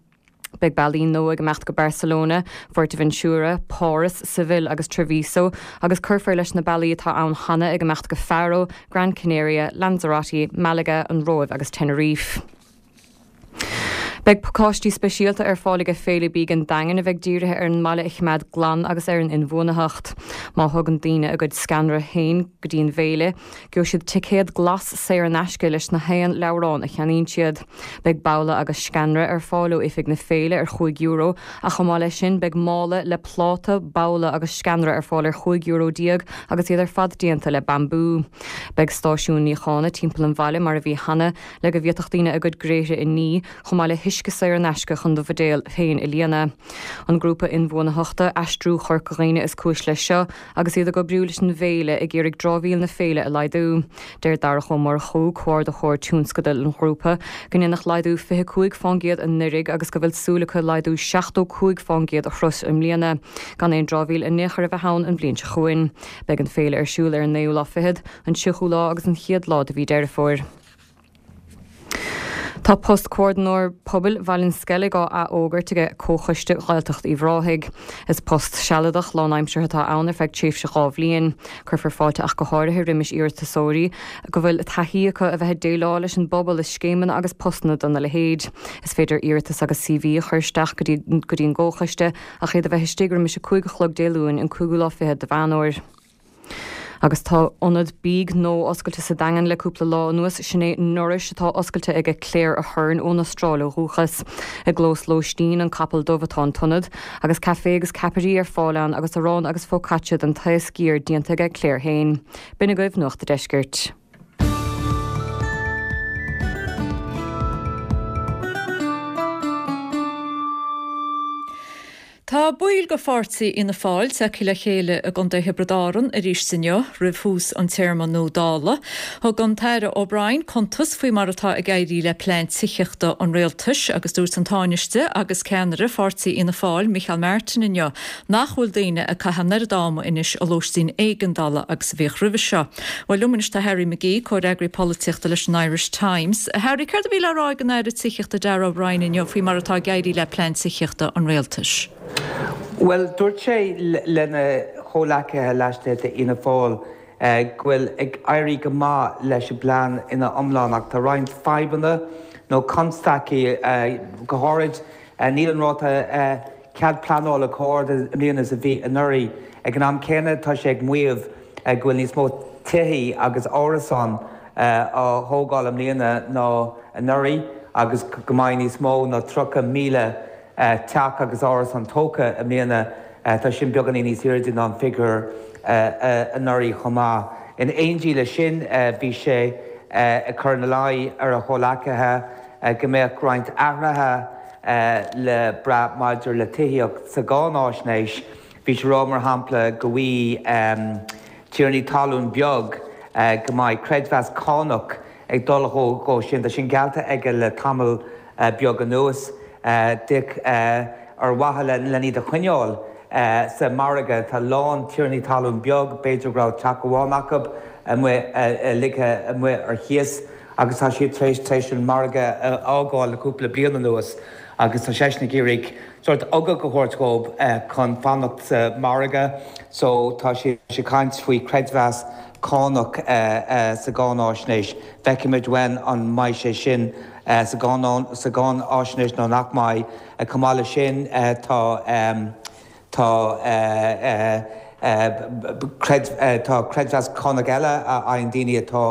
[SPEAKER 13] Beidh bealaí nua ag imeacht go Barcelona, Fuerteventura, Páras, Seville agus Treviso agus cuirfear leis na bealaí atá ann cheana ag imeacht go Faro, Gran Canaria, Lanzarote, Malaga, an Róimh agus Tenerife. Beidh pacáistí speisialta ar fáil ag Féile Bídh an Daingin a bheidh dírithe ar an mbaile a choimeád glan agus ar an inbhuanaitheacht. Má thugann daoine a gcuid sceanra féin go dtí an bhféile, gheobhaidh siad ticéad glas saor in aisce leis na haon leabhrán a cheannaíonn siad. Beidh babhla agus sceanra ar fáil ó oifig na féile ar chúig euro, ach chomh maith leis sin beidh mála le pláta, babhla agus sceanra ar fáil ar chúig euro déag agus iad ar fad déanta le bambú. Beidh stáisiúin níocháin timpeall an bhaile mar a bhí cheana le go bhféadfadh daoine a gcuid gréithre a ní, chomh maith le huisce saor in aisce chun do bhuidéal féin a líonadh. An grúpa inbhuanaitheachta Aistriú Chorca Dhuibhne is cúis leis seo agus iad ag oibriú leis an bhféile ag iarraidh dramhaíl na féile a laghdú. Deir Darach Ó Murchú, comhordaitheoir tionscadail an ghrúpa, go ndéanadh laghdú fiche cúig fán gcéad anuraidh agus go bhfuil súil acu laghdú seachtó cúig fán gcéad a shrois i mbliana, gan aon dramhaíl in aon chor a bheith ann an bhliain seo chugainn. Beidh an féile ar siúl ar an naoú lá fichead, an tríochú lá agus an chéad lá de mhí Deireadh Fómhair. Tá post Comhordaitheoir Pobail Bhaile an Sceilg á athfhógairt ag Comhchoiste Ghaeltacht Uíbh Ráthaigh. Is post sealadach lánaimseartha atá ann ar feadh tréimhse dhá bhliain. Cuirfear fáilte ach go háirithe roimis iarratasóirí go bhfuil taithí acu a bheith ag déileáil leis an bpobal i scéimeanna agus postanna dona leithéid. Is féidir iarratas agus C V a chur isteach go dtí go dtí an gComhchoiste ach iad a bheith istigh roimis a cúig a chlog Dé Luain an cúigiú lá fichead de Mheán Fómhair. Agus tá ionad bídh nua oscailte sa Daingean le cúpla lá anuas, sin é Nourish atá oscailte ag Claire Ahern ón Astráil ó dhúchas. I gclós lóistín an Capall Dubh atá an t-ionad, agus caife agus ceapairí ar fáil ann agus arán agus focaccia den taos sciar déanta ag Claire féin. B'in agaibh Nuacht an Deiscirt.
[SPEAKER 1] Tá baill de pháirtí Fhianna Fáil tagtha le chéile i gContae Thiobraid Árann arís inniu roimh thús an téarma nua Dála. Thug an tAire O'Brien cuntas faoi mar atá ag éirí le plean tithíochta an rialtais agus dúirt an Tánaiste agus ceannaire pháirtí Fhianna Fáil Micheál Martin inniu nach bhfuil daoine ag caitheamh an oiread ama anois i lóistín éigeandála agus a bhíodh roimhe seo. Bhuel liom anois tá Harry McGee, comhfhreagraí polaitíochta leis an Irish Times. Harry, céard a bhí le rá ag an Aire Tithíochta Darragh O'Brien inniu faoi mar atá ag éirí le plean tithíochta an rialtais?
[SPEAKER 16] Well dúirt sé lena chomhleacaithe laistigh d'Fhianna Fáil go bhfuil ag éirí go maith leis an bplean ina iomlán ach tá roinnt fadhbanna nó constaicí go háirid níl an ráta cead pleanála chomh hard i mbliana is a bhí anuraidh. Ag an am céanna tá sé ag maíomh go bhfuil níos mó tithe agus árasán á thógáil i mbliana ná anuraidh agus go mbeidh níos mó ná tríocha míle teach agus árasán tógtha i mbliana. Tá sin beagáinín níos airde ná an figiúr anuraidh chomh maith. In éindí leis sin bhí sé ag cur ina luí ar a chomhleacaithe go mbeadh roinnt athruithe le brath maidir le tithíocht sa gcáináisnéis. Bhí sé ag rá mar shampla go bhfaighidh tiarnaí talún beag go mbeidh creidmheas cánach ag dul dhó sin. Tá sin geallta aige le tamall beag anuas díreach ar mhaithe len iad a choinneáil sa margadh. Tá a lán tiarnaí talún beag, b'fhéidir go raibh teach amháin acu amuigh ligthe amuigh ar chíos agus tá siad tar éis tar éis an margadh a fhágáil le cúpla bliain anuas agus tá seisean ag iarraidh sórt ugach a thabhairt dhóibh chun fanacht sa margadh so tá sé ag caint faoi creidmheas cánach sa gcáináisnéis. Feicfimid uainn an mbeidh sé sin sa gcáináisnéis nó nach mbeidh. Chomh maith leis sin tá tá tá creidmheas cánach eile a fhaigheann daoine atá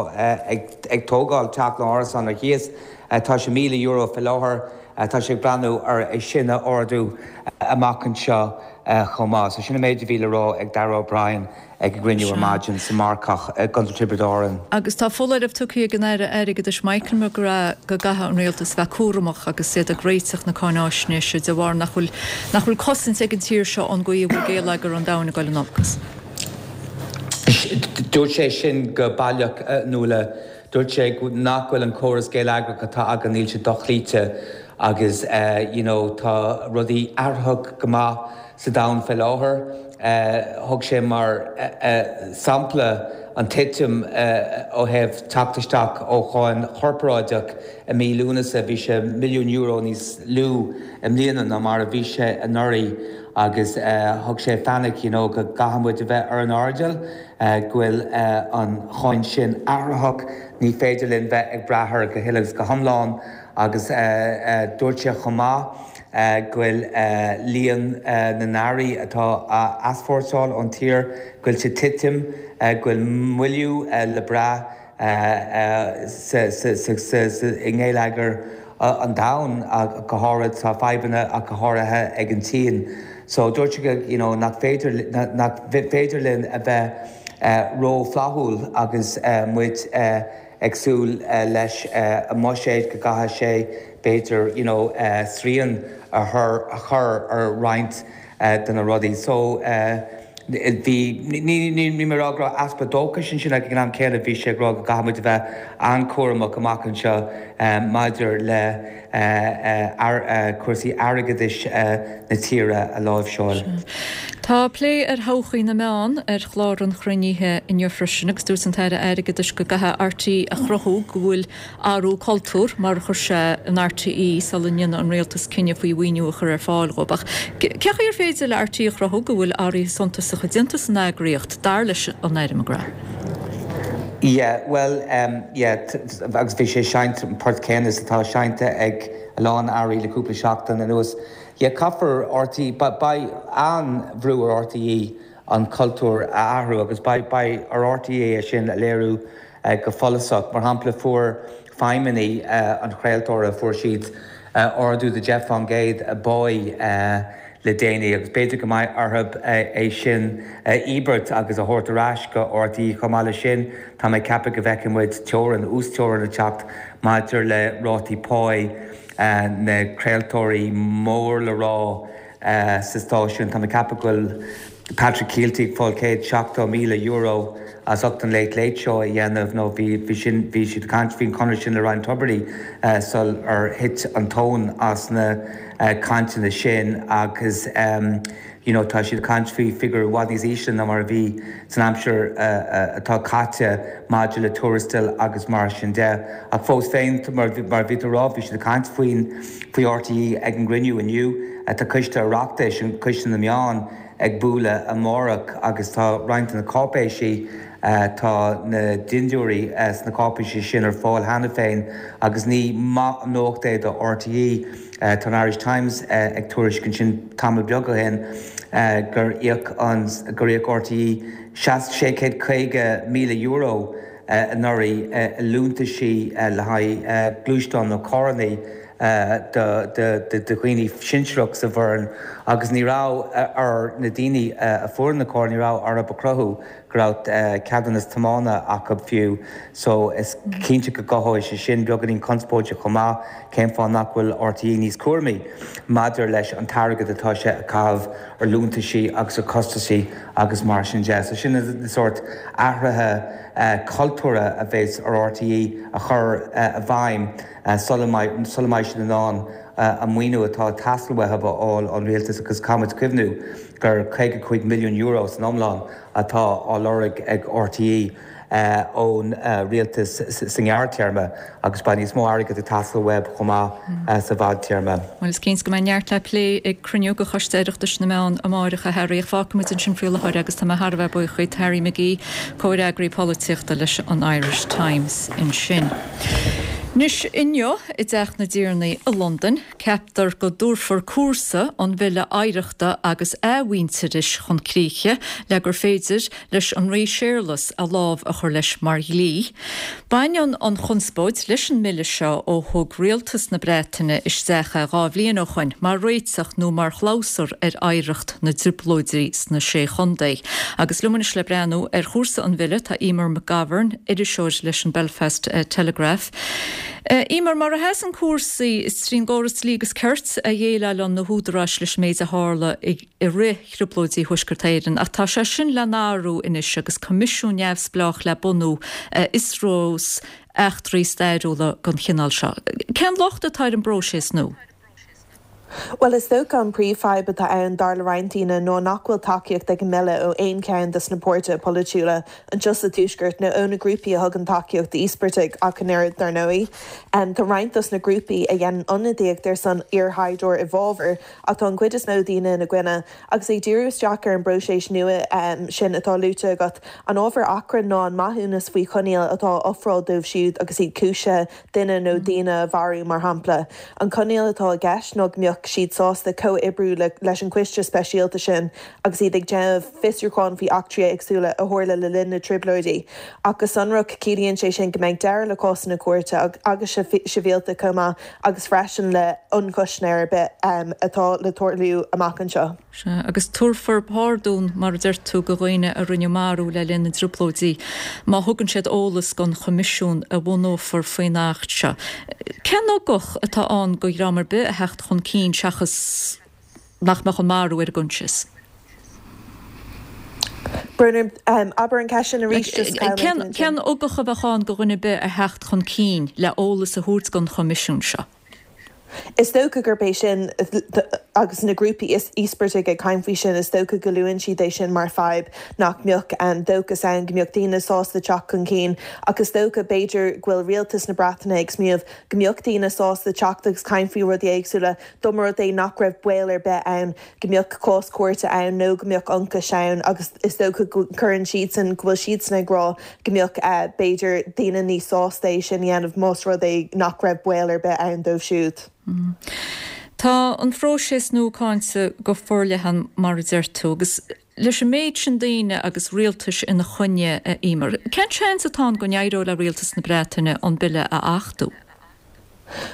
[SPEAKER 16] ag tógáil teach nó árasán ar chíos. Tá sé míle euro faoi láthair. Tá sé ag breathnú ar é sin a ardú amach anseo chomh maith. So sin an méid a bhí le rá ag Darragh O'Brien ag an gcruinniú ar maidin sa Marcach i gContae Tiobraid Árann.
[SPEAKER 1] Agus tá foláireamh tugtha ag an Aire Airgeadais Michael McGrath go gcaithfidh an rialtas bheith cúramach agus iad ag réiteach na cáináisnéise de bharr nach bhfuil nach bhfuil cosaint ag an tír seo ón gcaoi a bhfuil géilleagar an domhain ag dul in olcas.
[SPEAKER 16] Dúirt sé sin go baileach Nuala. Dúirt sé nach bhfuil an córas geilleagrach atá againn, níl sé dochloíte agus you know tá rudaí athraitheach go maith sa domhan fé láthair. Thug sé mar sampla an titim ó thaobh teacht isteach ó cháin chorparáideach i mí Lúnasa, bhí sé milliún euro níos lú i mbliana ná mar a bhí sé anuraidh agus thug sé fainic you know go gcaithfidh muid a bheith ar an airdeall go bhfuil an cháin sin athraitheach, ní féidir linn bheith ag brath air go huile agus go hiomlán Agus dúirt sé chomh maith go bhfuil líon na n-earraí atá á easpórtáil ón tír, go bhfuil sé ag titim, go bhfuil moilliú le brath i ngeilleagar an domhain, go háirid tá fadhbanna ach go háirithe ag an tSín. So dúirt sé go you know nach féidir nach féidir linn a bheith ró-fhlaithiúil agus muid ag súil leis an mbuiséad go gcaithfidh sé b'fhéidir you know srian a chur ar roinnt de na rudaí. So bhí, ní ní mé ag rá go raibh easpa dóchais ansin ach ag an am céanna bhí sé ag rá go gcaithfidh muid a bheith an-chúramach amach anseo maidir le cúrsaí airgeadais na tíre a láimhseáil.
[SPEAKER 1] Tá plé ar thodhchaí na meán ar chlár an chruinnithe inniu freisin agus dúirt an tAire Airgeadais go gcaithfidh RTÉ a chruthú go bhfuil athrú cultúir, mar a chuir sé, in RTÉ sula ndéanfaidh an Rialtas cinneadh faoi mhaoiniú a chur ar fáil dhóibh. Ach cé chaoi ar féidir le RTÉ a chruthú go bhfuil athruithe suntasacha déanta san eagraíocht, dar leis an Aire McGrath?
[SPEAKER 16] Yeah, bhuel, yeah, agus bhí sé ag seinnt an port céanna is atá seinnte ag a lán airí le cúpla seachtain anuas. Yeah, caithfear RTÉ, beidh an-bhrú ar RTÉ an cultúr a athrú agus beidh beidh ar RTÉ é sin a léiriú go follasach. Mar shampla, fuair feidhmeannaigh an chraoltóra, fuair siad ardú de deich faoin gcéad a bpáí le déanaí agus b'fhéidir go mbeidh orthu é sin a íobairt agus a thabhairt ar ais go RTÉ. Chomh maith leis sin, tá mé ag ceapadh go bhfeicfidh muid teorainn, uasteorainn ag teacht maidir le rátaí páí na craoltóirí mór le rá sa stáisiún. Tá mé ag ceapadh go bhfuil Patrick Kielty ag fáil céad seachtó míle euro as ucht an Late Late Show a dhéanamh nó bhí bhí sin bhí siad ag caint faoin chonradh sin le Ryan Tubridy sul ar thit an tóin as na cainteanna sin agus you know tá siad ag caint faoi figiúr i bhfad níos ísle ná mar a bhí san aimsir atá caite maidir le tuarastail agus mar sin de. Ach fós féin, mar mar a bhí tú ag rá, bhí siad ag caint faoin faoi RTÉ ag an gcruinniú inniu. Tá coiste Oireachtais, an Coiste na Meán, ag bualadh amárach agus tá roinnt de na cáipéisí, tá na dintiúirí sna cáipéisí sin ar fáil cheana féin agus ní maith an nuacht é do RTÉ. Tá an Irish Times ag tuairisc ansin tamall beag ó shin gur íoc an gur íoc RTÉ sé chéad caoga míle euro anuraidh i liúntaisí le haghaidh gluaisteáin nó carranna do dhaoine sinsearach sa bhfoireann agus ní raibh ar na daoine a fuair na cairr, ní raibh orthu a chruthú go raibh ceadúnas tiomána acu fiú. So is cinnte go gcothóidh sé sin beagáinín conspóide chomh maith, cén fáth nach bhfuil RTÉ níos cúramaí maidir leis an t-airgead atá sé a chaitheamh ar liúntaisí agus ar chostaisí agus mar sin de. So sin na sórt athruithe cultúrtha a bheas ar RTÉ a chur i bhfeidhm sula mbeidh sula mbeidh siad in ann an maoiniú atá ag teastáil uathu a fháil ón rialtas agus caithfimid cuimhniú gur caoga cúig milliún euro san iomlán atá á lorg ag RTÉ ón rialtas sa ngearrtéarma agus beidh níos mó airgid ag teastáil uathu chomh maith sa bhfadtéarma.
[SPEAKER 1] Bhuel, is cinnte go mbeidh neart le plé ag cruinniú de Choiste Oireachtais na Meán amáireach, a Harry, ach fágfaimid ansin faoi láthair agus tá mé thar a bheith buíoch díot, Harry McGee, comhfhreagraí polaitíochta leis an Irish Times ansin. Anois, inniu i dTeach na dTiarnaí i Londain, ceaptar go dtabharfar cúrsa an Bhille Oidhreachta agus Athmhuintearais chun críche le gur féidir leis an Rí Séarlas a lámh a chur leis mar dhlí. Baineann an chonspóid leis an mbille seo ó thug rialtas na Breataine isteach é dhá bhliain ó shoin mar réiteach nó mar chlabhsúr ar oidhreacht na dTrioblóidí sna Sé Chontae. Agus liom anois le breathnú ar chúrsa an bhille tá Emer McGovern, iriseoir leis an Belfast Telegraph. Emer, mar a sheasann cúrsaí, is trín gcóras dlí agus cirt a dhéileálann na húdaráis leis an méid a tharla i rith Thrioblóidí Thuaisceart Éireann, ach tá sé sin le n-athrú anois agus coimisiún neamhspleách le bunú a fhiosrós eachtraí stairiúla den chineál seo. Cén locht atá ar an bpróiseas nua?
[SPEAKER 17] Bhuel, is dócha an príomhfhadhb atá ann dar le roinnt daoine ná nach bhfuil tacaíocht ag an mbille ó aon cheann de na páirtithe polaitiúla anseo sa Tuaisceart nó ó na grúpaí a thugann tacaíocht d'íospartaigh ach an oiread, dar ndóigh. Tá roinnt dos na grúpaí a dhéanann ionadaíocht ar son iarshaighdiúir i bhfabhar ach tá an chuid is mó daoine ina gcoinne. Agus ag díriú isteach ar an bpróiseas nua sin atá luaite agat, an ábhar achrainn ná an maithiúnas faoi choinníoll atá á ofráil dóibh siúd agus iad cúisithe, duine nó daoine a mharú, mar shampla. An coinníoll atá i gceist ná go mbeadh siad sásta comhoibriú leis an gcoiste speisialta sin agus iad ag déanamh fiosrúcháin faoi eachtraí éagsúla a tharla le linn na dTrioblóidí. Ach go sonrach, ciallaíonn sé sin go mbeidh deireadh le cásanna cúirte agus sibhialta chomh maith agus freisin le hionchúiseanna ar bith atá le tarlú amach anseo.
[SPEAKER 1] Sea, agus tabharfar pardún, mar a deir tú, do dhaoine a rinneadh marú le linn na dTrioblóidí, má thugann siad eolas don Choimisiún a bhunófar faoin Acht seo. Cén ugach atá ann do dhream ar bith a theacht chun cinn seachas nach mbeadh an marú ar a gcoinsias?
[SPEAKER 17] Brón orm, abair an ceist sin arís, just chaill mé tú ansin.
[SPEAKER 1] Cén ugach a bheadh ann do dhuine ar bith a theacht chun cinn le eolas a thabhairt don Choimisiún seo?
[SPEAKER 17] Is dócha gurb é sin, agus na grúpaí íospartaigh ag caint faoi sin, is dócha go luann siad é sin mar fadhb, nach mbeadh dóchas ann go mbeadh daoine sásta teacht chun cinn. Ach is dócha, b'fhéidir, go bhfuil rialtas na Breataine ag smaoineamh go mbeadh daoine sásta teacht agus caint faoi rudaí éagsúla, dá mba rud é nach raibh baol ar bith ann go mbeadh cás cúirte ann nó go mbeadh ionchais ann agus is dócha go gcuireann siadsan, go bhfuil siadsan ag rá go mbeadh, b'fhéidir, daoine níos sásta é sin a dhéanamh más rud é nach raibh baol ar bith ann dóibh siúd.
[SPEAKER 1] Tá an phróiseas nua cáinte go forleathan mar a deir tú agus leis an méid sin daoine agus rialtais ina choinne, a Emer, cén seans atá ann go n-éireoidh le rialtas na Breataine an bille a achtú?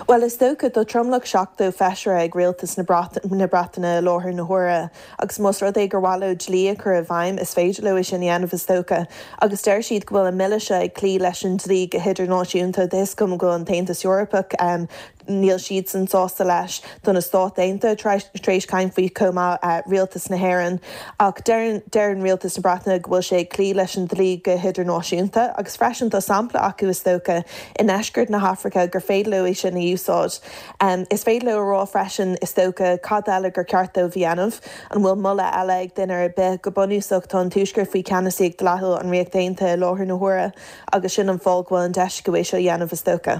[SPEAKER 17] Bhuel, is dócha, tá tromlach seachtó feisire ag rialtas na Breataine i láthair na huaire agus más rud é gur mhaith leo dlí a chur i bhfeidhm, is féidir leo é sin a dhéanamh, is dócha. Agus deir siad go bhfuil an mbille seo ag cloí leis an dlí go hidirnáisiúnta. Tá a fhios agam go bhfuil an tAontas Eorpach, níl siadsan sásta leis. Tá na Stáit Aontaithe tar éis caint faoi chomh maith, rialtas na hÉireann. Ach deireann rialtas na Breataine go bhfuil sé ag cloí leis an dlí go hidirnáisiúnta. Agus freisin tá sampla acu, is dócha, i ndeisceart na hAfraice gur féidir leo é sin a úsáid. Is féidir leo a rá freisin, is dócha, cad eile gur ceart dóibh a dhéanamh? An bhfuil moladh eile ag duine ar bith? Go bunúsach, tá an Tuaisceart faoi cheannasaíocht dleathúil an Ríocht Aontaithe i láthair na huaire agus sin an fáth go bhfuil an deis acu é seo a dhéanamh, is dócha.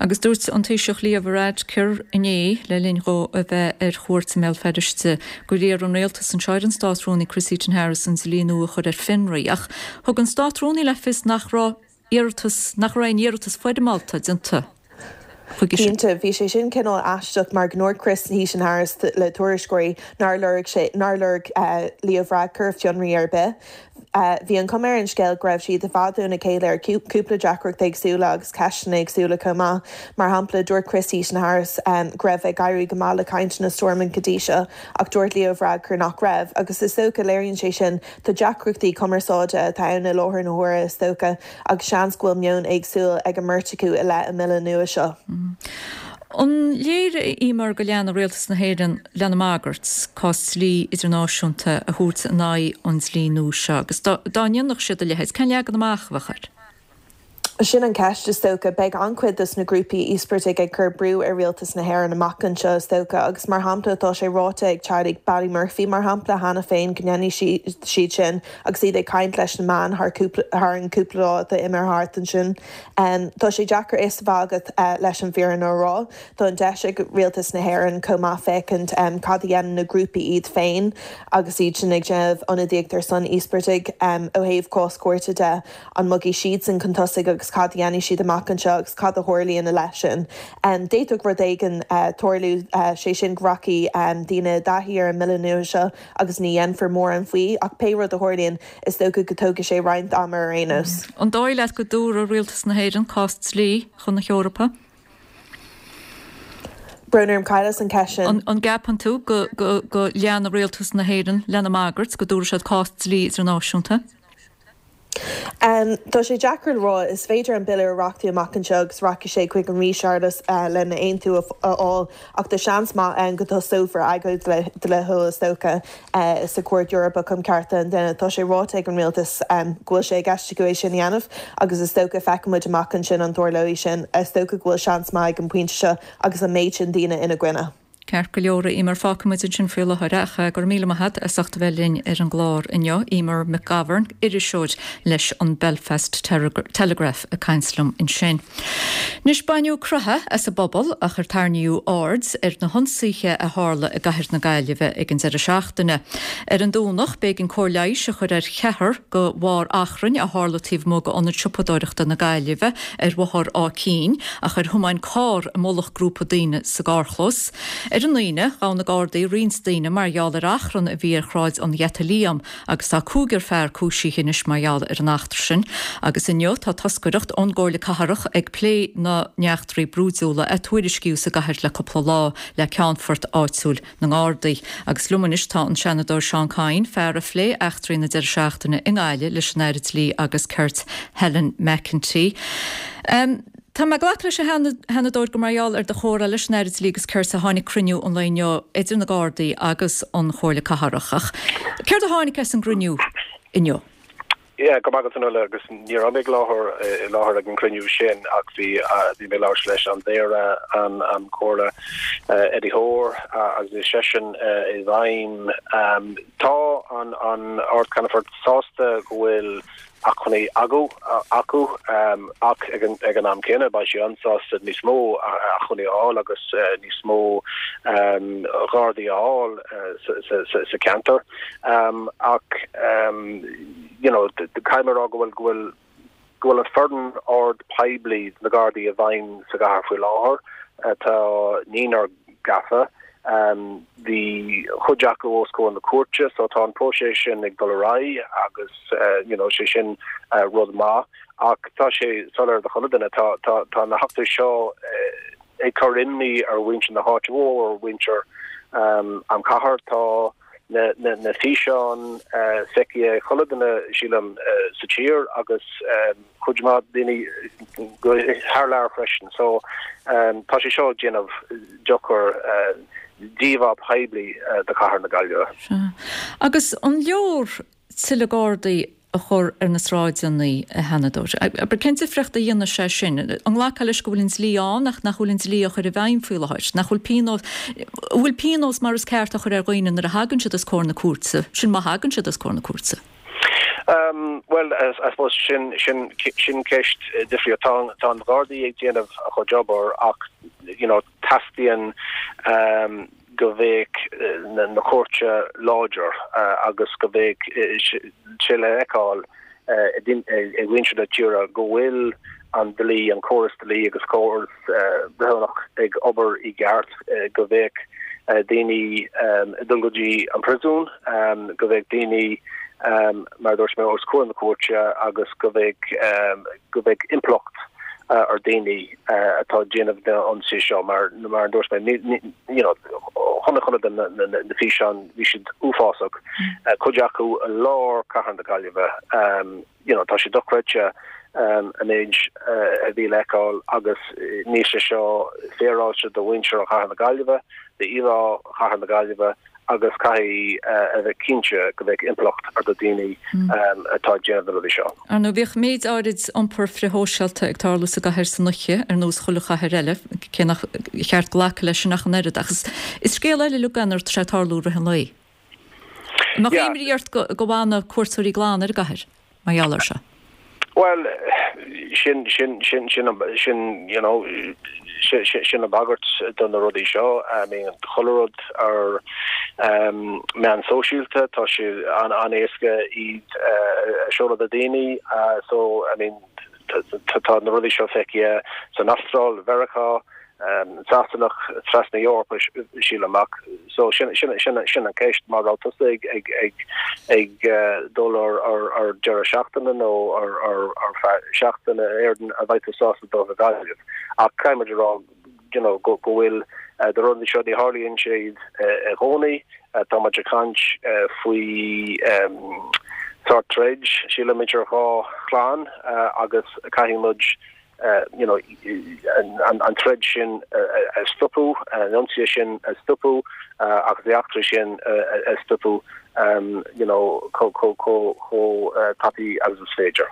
[SPEAKER 1] Agus dúirt an Taoiseach Leo Varadkar inné, le linn dhó a bheith ar chuairt i mBéal Feirste, gur iarr an rialtas anseo ar an Státrúnaí Chris Heaton-Harris an dlí nua a chur ar fionraí. Ach thug an Státrúnaí le fios nach raibh iarratas, nach raibh aon iarratas foirmeálta déanta chuige sin.
[SPEAKER 17] Cinnte, bhí sé sin cineál aisteach mar go ndúirt Chris Heaton-Harris le tuairisceoirí nár lorg sé, nár lorg Leo Varadkar fionraí ar bith. Bhí an chuma ar an scéal go raibh siad i bhfad óna chéile ar chúpla deacracht éagsúla agus ceisteanna éagsúla chomh maith. Mar shampla, dúirt Chris Heaton-Harris go raibh ag éirí go maith le cainteanna Stormont go dtí seo ach dúirt Leo Varadkar nach raibh. Agus is dócha, léiríonn sé sin, tá deacrachtaí cumarsáide atá ann i láthair na huaire is dócha agus seans go bhfuil meon éagsúil ag an mbeirt acu i leith an mbille nua seo.
[SPEAKER 1] An léir, a Emer, go leanfaidh Rialtas na hÉireann lena mbagairt cás dlí idirnáisiúnta a thabhairt in aghaidh an dlí nua seo agus dá ndéanfadh siad a leithéid, cén leagan amach a bheadh air?
[SPEAKER 17] Sin an cheist, is dócha. Beidh an-chuid dos na grúpaí íospartaigh ag cur brú ar Rialtas na hÉireann amach anseo, is dócha, agus mar shampla tá sé ráite ag teaghlaigh Ballymurphy, mar shampla, cheana féin go ndéanfaidh siad sin agus iad ag caint leis na meáin thar an cúpla lá atá imithe thart ansin. Tá sé deacair fhios a bheith agat leis an bhfírinne a rá. Tá an deis ag Rialtas na hÉireann chomh maith féachaint cad a dhéanann na grúpaí iad féin agus iad sin ag déanamh ionadaíocht ar son íospartaigh ó thaobh cás cúirte de. An mbogfaidh siadsan chun tosaigh agus cad a dhéanfaidh siad amach anseo agus cad a tharlaíonn i leith sin. D'fhéadfadh rud éigin tarlú, sé sin go rachaidh daoine i dtaithí ar an mbille nua seo agus ní dhéanfar mórán faoi ach pé rud a tharlaíonn, Is dócha go dtógfaidh sé roinnt ama ar aon nós.
[SPEAKER 1] An dóigh leat go dtabharfaidh Rialtas na hÉireann cás dlí chun na hEorpa?
[SPEAKER 17] Brón orm, chailleas an ceist sin.
[SPEAKER 1] An gceapann tú go go leanfaidh Rialtas na hÉireann lena mbagairt go dtabharfaidh siad cás dlí idirnáisiúnta?
[SPEAKER 17] Tá sé deacair le rá. Is féidir an bille a reachtú amach anseo agus rachaidh sé chuig an Rí Séarlas lena aontú a fháil ach tá seans maith ann go dtosófar agóid dlíthiúil is dócha sa Chúirt Eorpach um Chearta an Duine. Tá sé ráite ag an rialtas go bhfuil sé i gceist acu é sin a dhéanamh agus is dócha feicfidh muid amach ansin an dtarlóidh sin. Is dócha go bhfuil seans maith ag an bpointe seo agus an méid sin daoine ina gcoinne.
[SPEAKER 1] Ceart go leor, a Eimear, fágfaidh muid ansin faoi láthair ach go raibh míle maith agat as ucht a bheith linn ar an gclár inniu. Eimear McGovern, iriseoir leis an Belfast Telegraph ag caint liom ansin. Anois baineadh croitheadh as an bpobal ach ar tarraingíodh aird ar na hionsaithe a tharla i gcathair na Gaillimhe ag an deireadh seachtaine. Ar an Domhnach b'éigean cóir leighis a chur ar cheathrar de bharr achrainn a tharla taobh amuigh d'Ionad Siopadóireachta na Gaillimhe ar Bhóthar Áth Cinn ach ar thiomáin carr i mullach grúpa daoine sa gcarrchlós. Ar an Aoine, ghabh na Gardaí roinnt daoine mar gheall ar achrann a bhí ar Shráid an Gheata Liam agus tá cúigear fear cúisithe anois mar gheall ar an eachtra sin. Agus inniu tá toscaireacht ón gComhairle Cathrach ag plé na n-eachtraí brúidiúla a tuairiscíodh sa gcathair le cúpla lá le Ceannfort áitiúil na nGardaí. Agus liom anois tá an Seanadóir Seán Kyne, fear a phléigh eachtraí na deireadh seachtaine i nGaillimh leis an Aire Dlí agus Cirt Helen McEntee. Um, Tá mé ag glacadh leis a Sheanadóir gur mar gheall ar do chomhrá leis an Aire Dlí agus Cirt a tháinig cruinniú an lae inniu idir na Gardaí agus an Chomhairle Cathrach. Ach céard a tháinig as an gcruinniú inniu?
[SPEAKER 18] Yeah, go maith agat agus ní raibh mé ag láthair i láthair ag an cruinniú sin ach bhí bhí mé ag labhairt leis an Mhéara an an Comhairle Eddie Hoare agus bhí seisean i bhfeidhm. Tá an an Ard-Cheannfort sásta go bhfuil acmhainní acu acu ach ag an ag an am céanna beidh sé an-sásta níos mó acmhainní a fháil agus níos mó Gardaí a fháil sa ceantar ach you know caithfidh mé a rá go bhfuil go bhfuil go bhfuil an foireann ord poiblí na Gardaí i bhfeidhm sa gcathair faoi láthair tá naonúr gafa Bhí cuid acu os comhair na cúirte so tá an próiseas sin ag dul ar aghaidh agus you know sé sin rud maith ach tá sé soiléir do chuile duine, tá tá tá na heachtraí seo ag cur imní ar mhuintir na háite mhór, ar mhuintir an chathair. Tá na na na físeáin feicthe ag chuile duine sílim sa tír agus cuid mhaith daoine thar lear freisin. So tá sé seo ag déanamh dochar d'íomhá poiblí do chathair na Gaillimhe.
[SPEAKER 1] Sea. Agus an leor tuilleadh Gardaí a chur ar na sráideanna, a Sheanadóir? Abair, cén difríocht a dhéanfaidh sé sin? An nglacfá leis go bhfuil an dlí ann ach nach bhfuil an dlí á chur i bhfeidhm faoi láthair? Nach bhfuil pionós, an bhfuil pionós mar is ceart á chur ar dhaoine nuair a thagann siad os comhair na cúirte? Sin má thagann siad os comhair na cúirte.
[SPEAKER 18] Bhuel, I suppose sin, sin, sin ceist difriúil. Tá, tá an Ghardaí ag déanamh a chuid obair ach, you know, teastaíonn go bheadh na, na cúirte láidir agus go bheadh sé le feiceáil ag muintir na tíre go bhfuil an dlí, an córas dlí agus córas breithiúnach ag obair i gceart, go bheadh daoine ag dul go dtí an príosún, go bheadh daoine, mar a dúirt mé, os comhair na cúirte agus go bheadh go bheadh impleacht ar daoine atá ag déanamh na ionsaí seo mar mar a dúirt mé, you know, chonaic chuile duine na físeáin, bhí siad uafásach, cuid acu i lár cathair na Gaillimhe. You know, tá sé dochreidte an méid a bhí le feiceáil agus níl sé seo féaráilte do mhuintir chathair na Gaillimhe, d'íomhá chathair na Gaillimhe agus caithfidh a bheith cinnte go mbeidh impleacht ar do daoine atá ag déanamh na rudaí seo.
[SPEAKER 1] Ar ndóigh, bhíodh méid áirid iompar frithshóisialta ag tarlú sa gcathair san oíche, ar nós chuile chathair eile, cé nach cheart glacadh leis sin ach an oiread, ach is scéal eile uilig é nuair atá sé ag tarlú i rith an lae. An mbeadh imní ort go bhfanadh cuairteoirí glan ar an gcathair mar gheall air seo?
[SPEAKER 18] Bhuel, sin, sin, sin, sin, sin, you know, sin an bagairt do na rudaí seo. I mean, chuile rud ar meán sóisialta, tá sé an-éasca iad a seoladh do daoine. So, I mean, tá na rudaí seo feicthe san Astráil, Mheiriceá, Sasanach, trasna Eorpa, sílim ach so sin sin sin sin an ceist má raibh tusa ag ag ag ag dul ar ar ar deireadh seachtaine nó ar ar ar feadh seachtaine Éireann an mbeidh tú sásta dul go Gaillimh ach caithfidh muid a rá you know go go bhfuil na rudaí seo ní tharlaíonn siad i gcónaí tá muid ag caint faoi sórt troid sílim idir dhá chlann agus caithfidh muid you know, an, an troid sin a stopadh, an ionsaí sin a stopadh agus na heachtraí sin a stopadh you know, chomh tapaidh agus is féidir.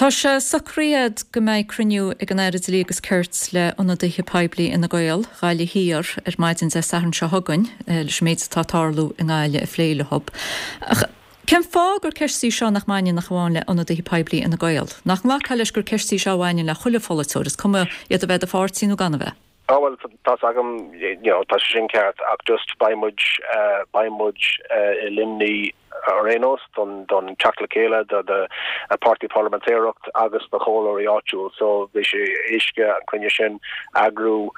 [SPEAKER 1] Tá sé socraithe go mbeidh cruinniú ag an Aire Dlí agus Cirt le ionadaithe poiblí Fhine Gael, Gaillimh Thiar ar maidin Dé Sathairn seo chugainn leis an méid atá ag tarlú i nGaillimh a phlé leo. Ach cén fáth gur ceist í seo nach mbaineann ach amháin le ionadaithe poiblí Fhine Gael? Nach nglacfá leis gur ceist í seo a bhaineann le chuile pholaiteoir, is cuma iad a bheith de pháirtí nó gan a bheith?
[SPEAKER 18] Á bhuel tá's agam you know tá sé sin ceart ach just beidh muid beidh muid i Luimnigh ar aon nós don don teacht le chéile do do páirtí parlaimentéireacht agus do chomhairleoirí áitiúil so bhí sé éasca an cruinniú sin eagrú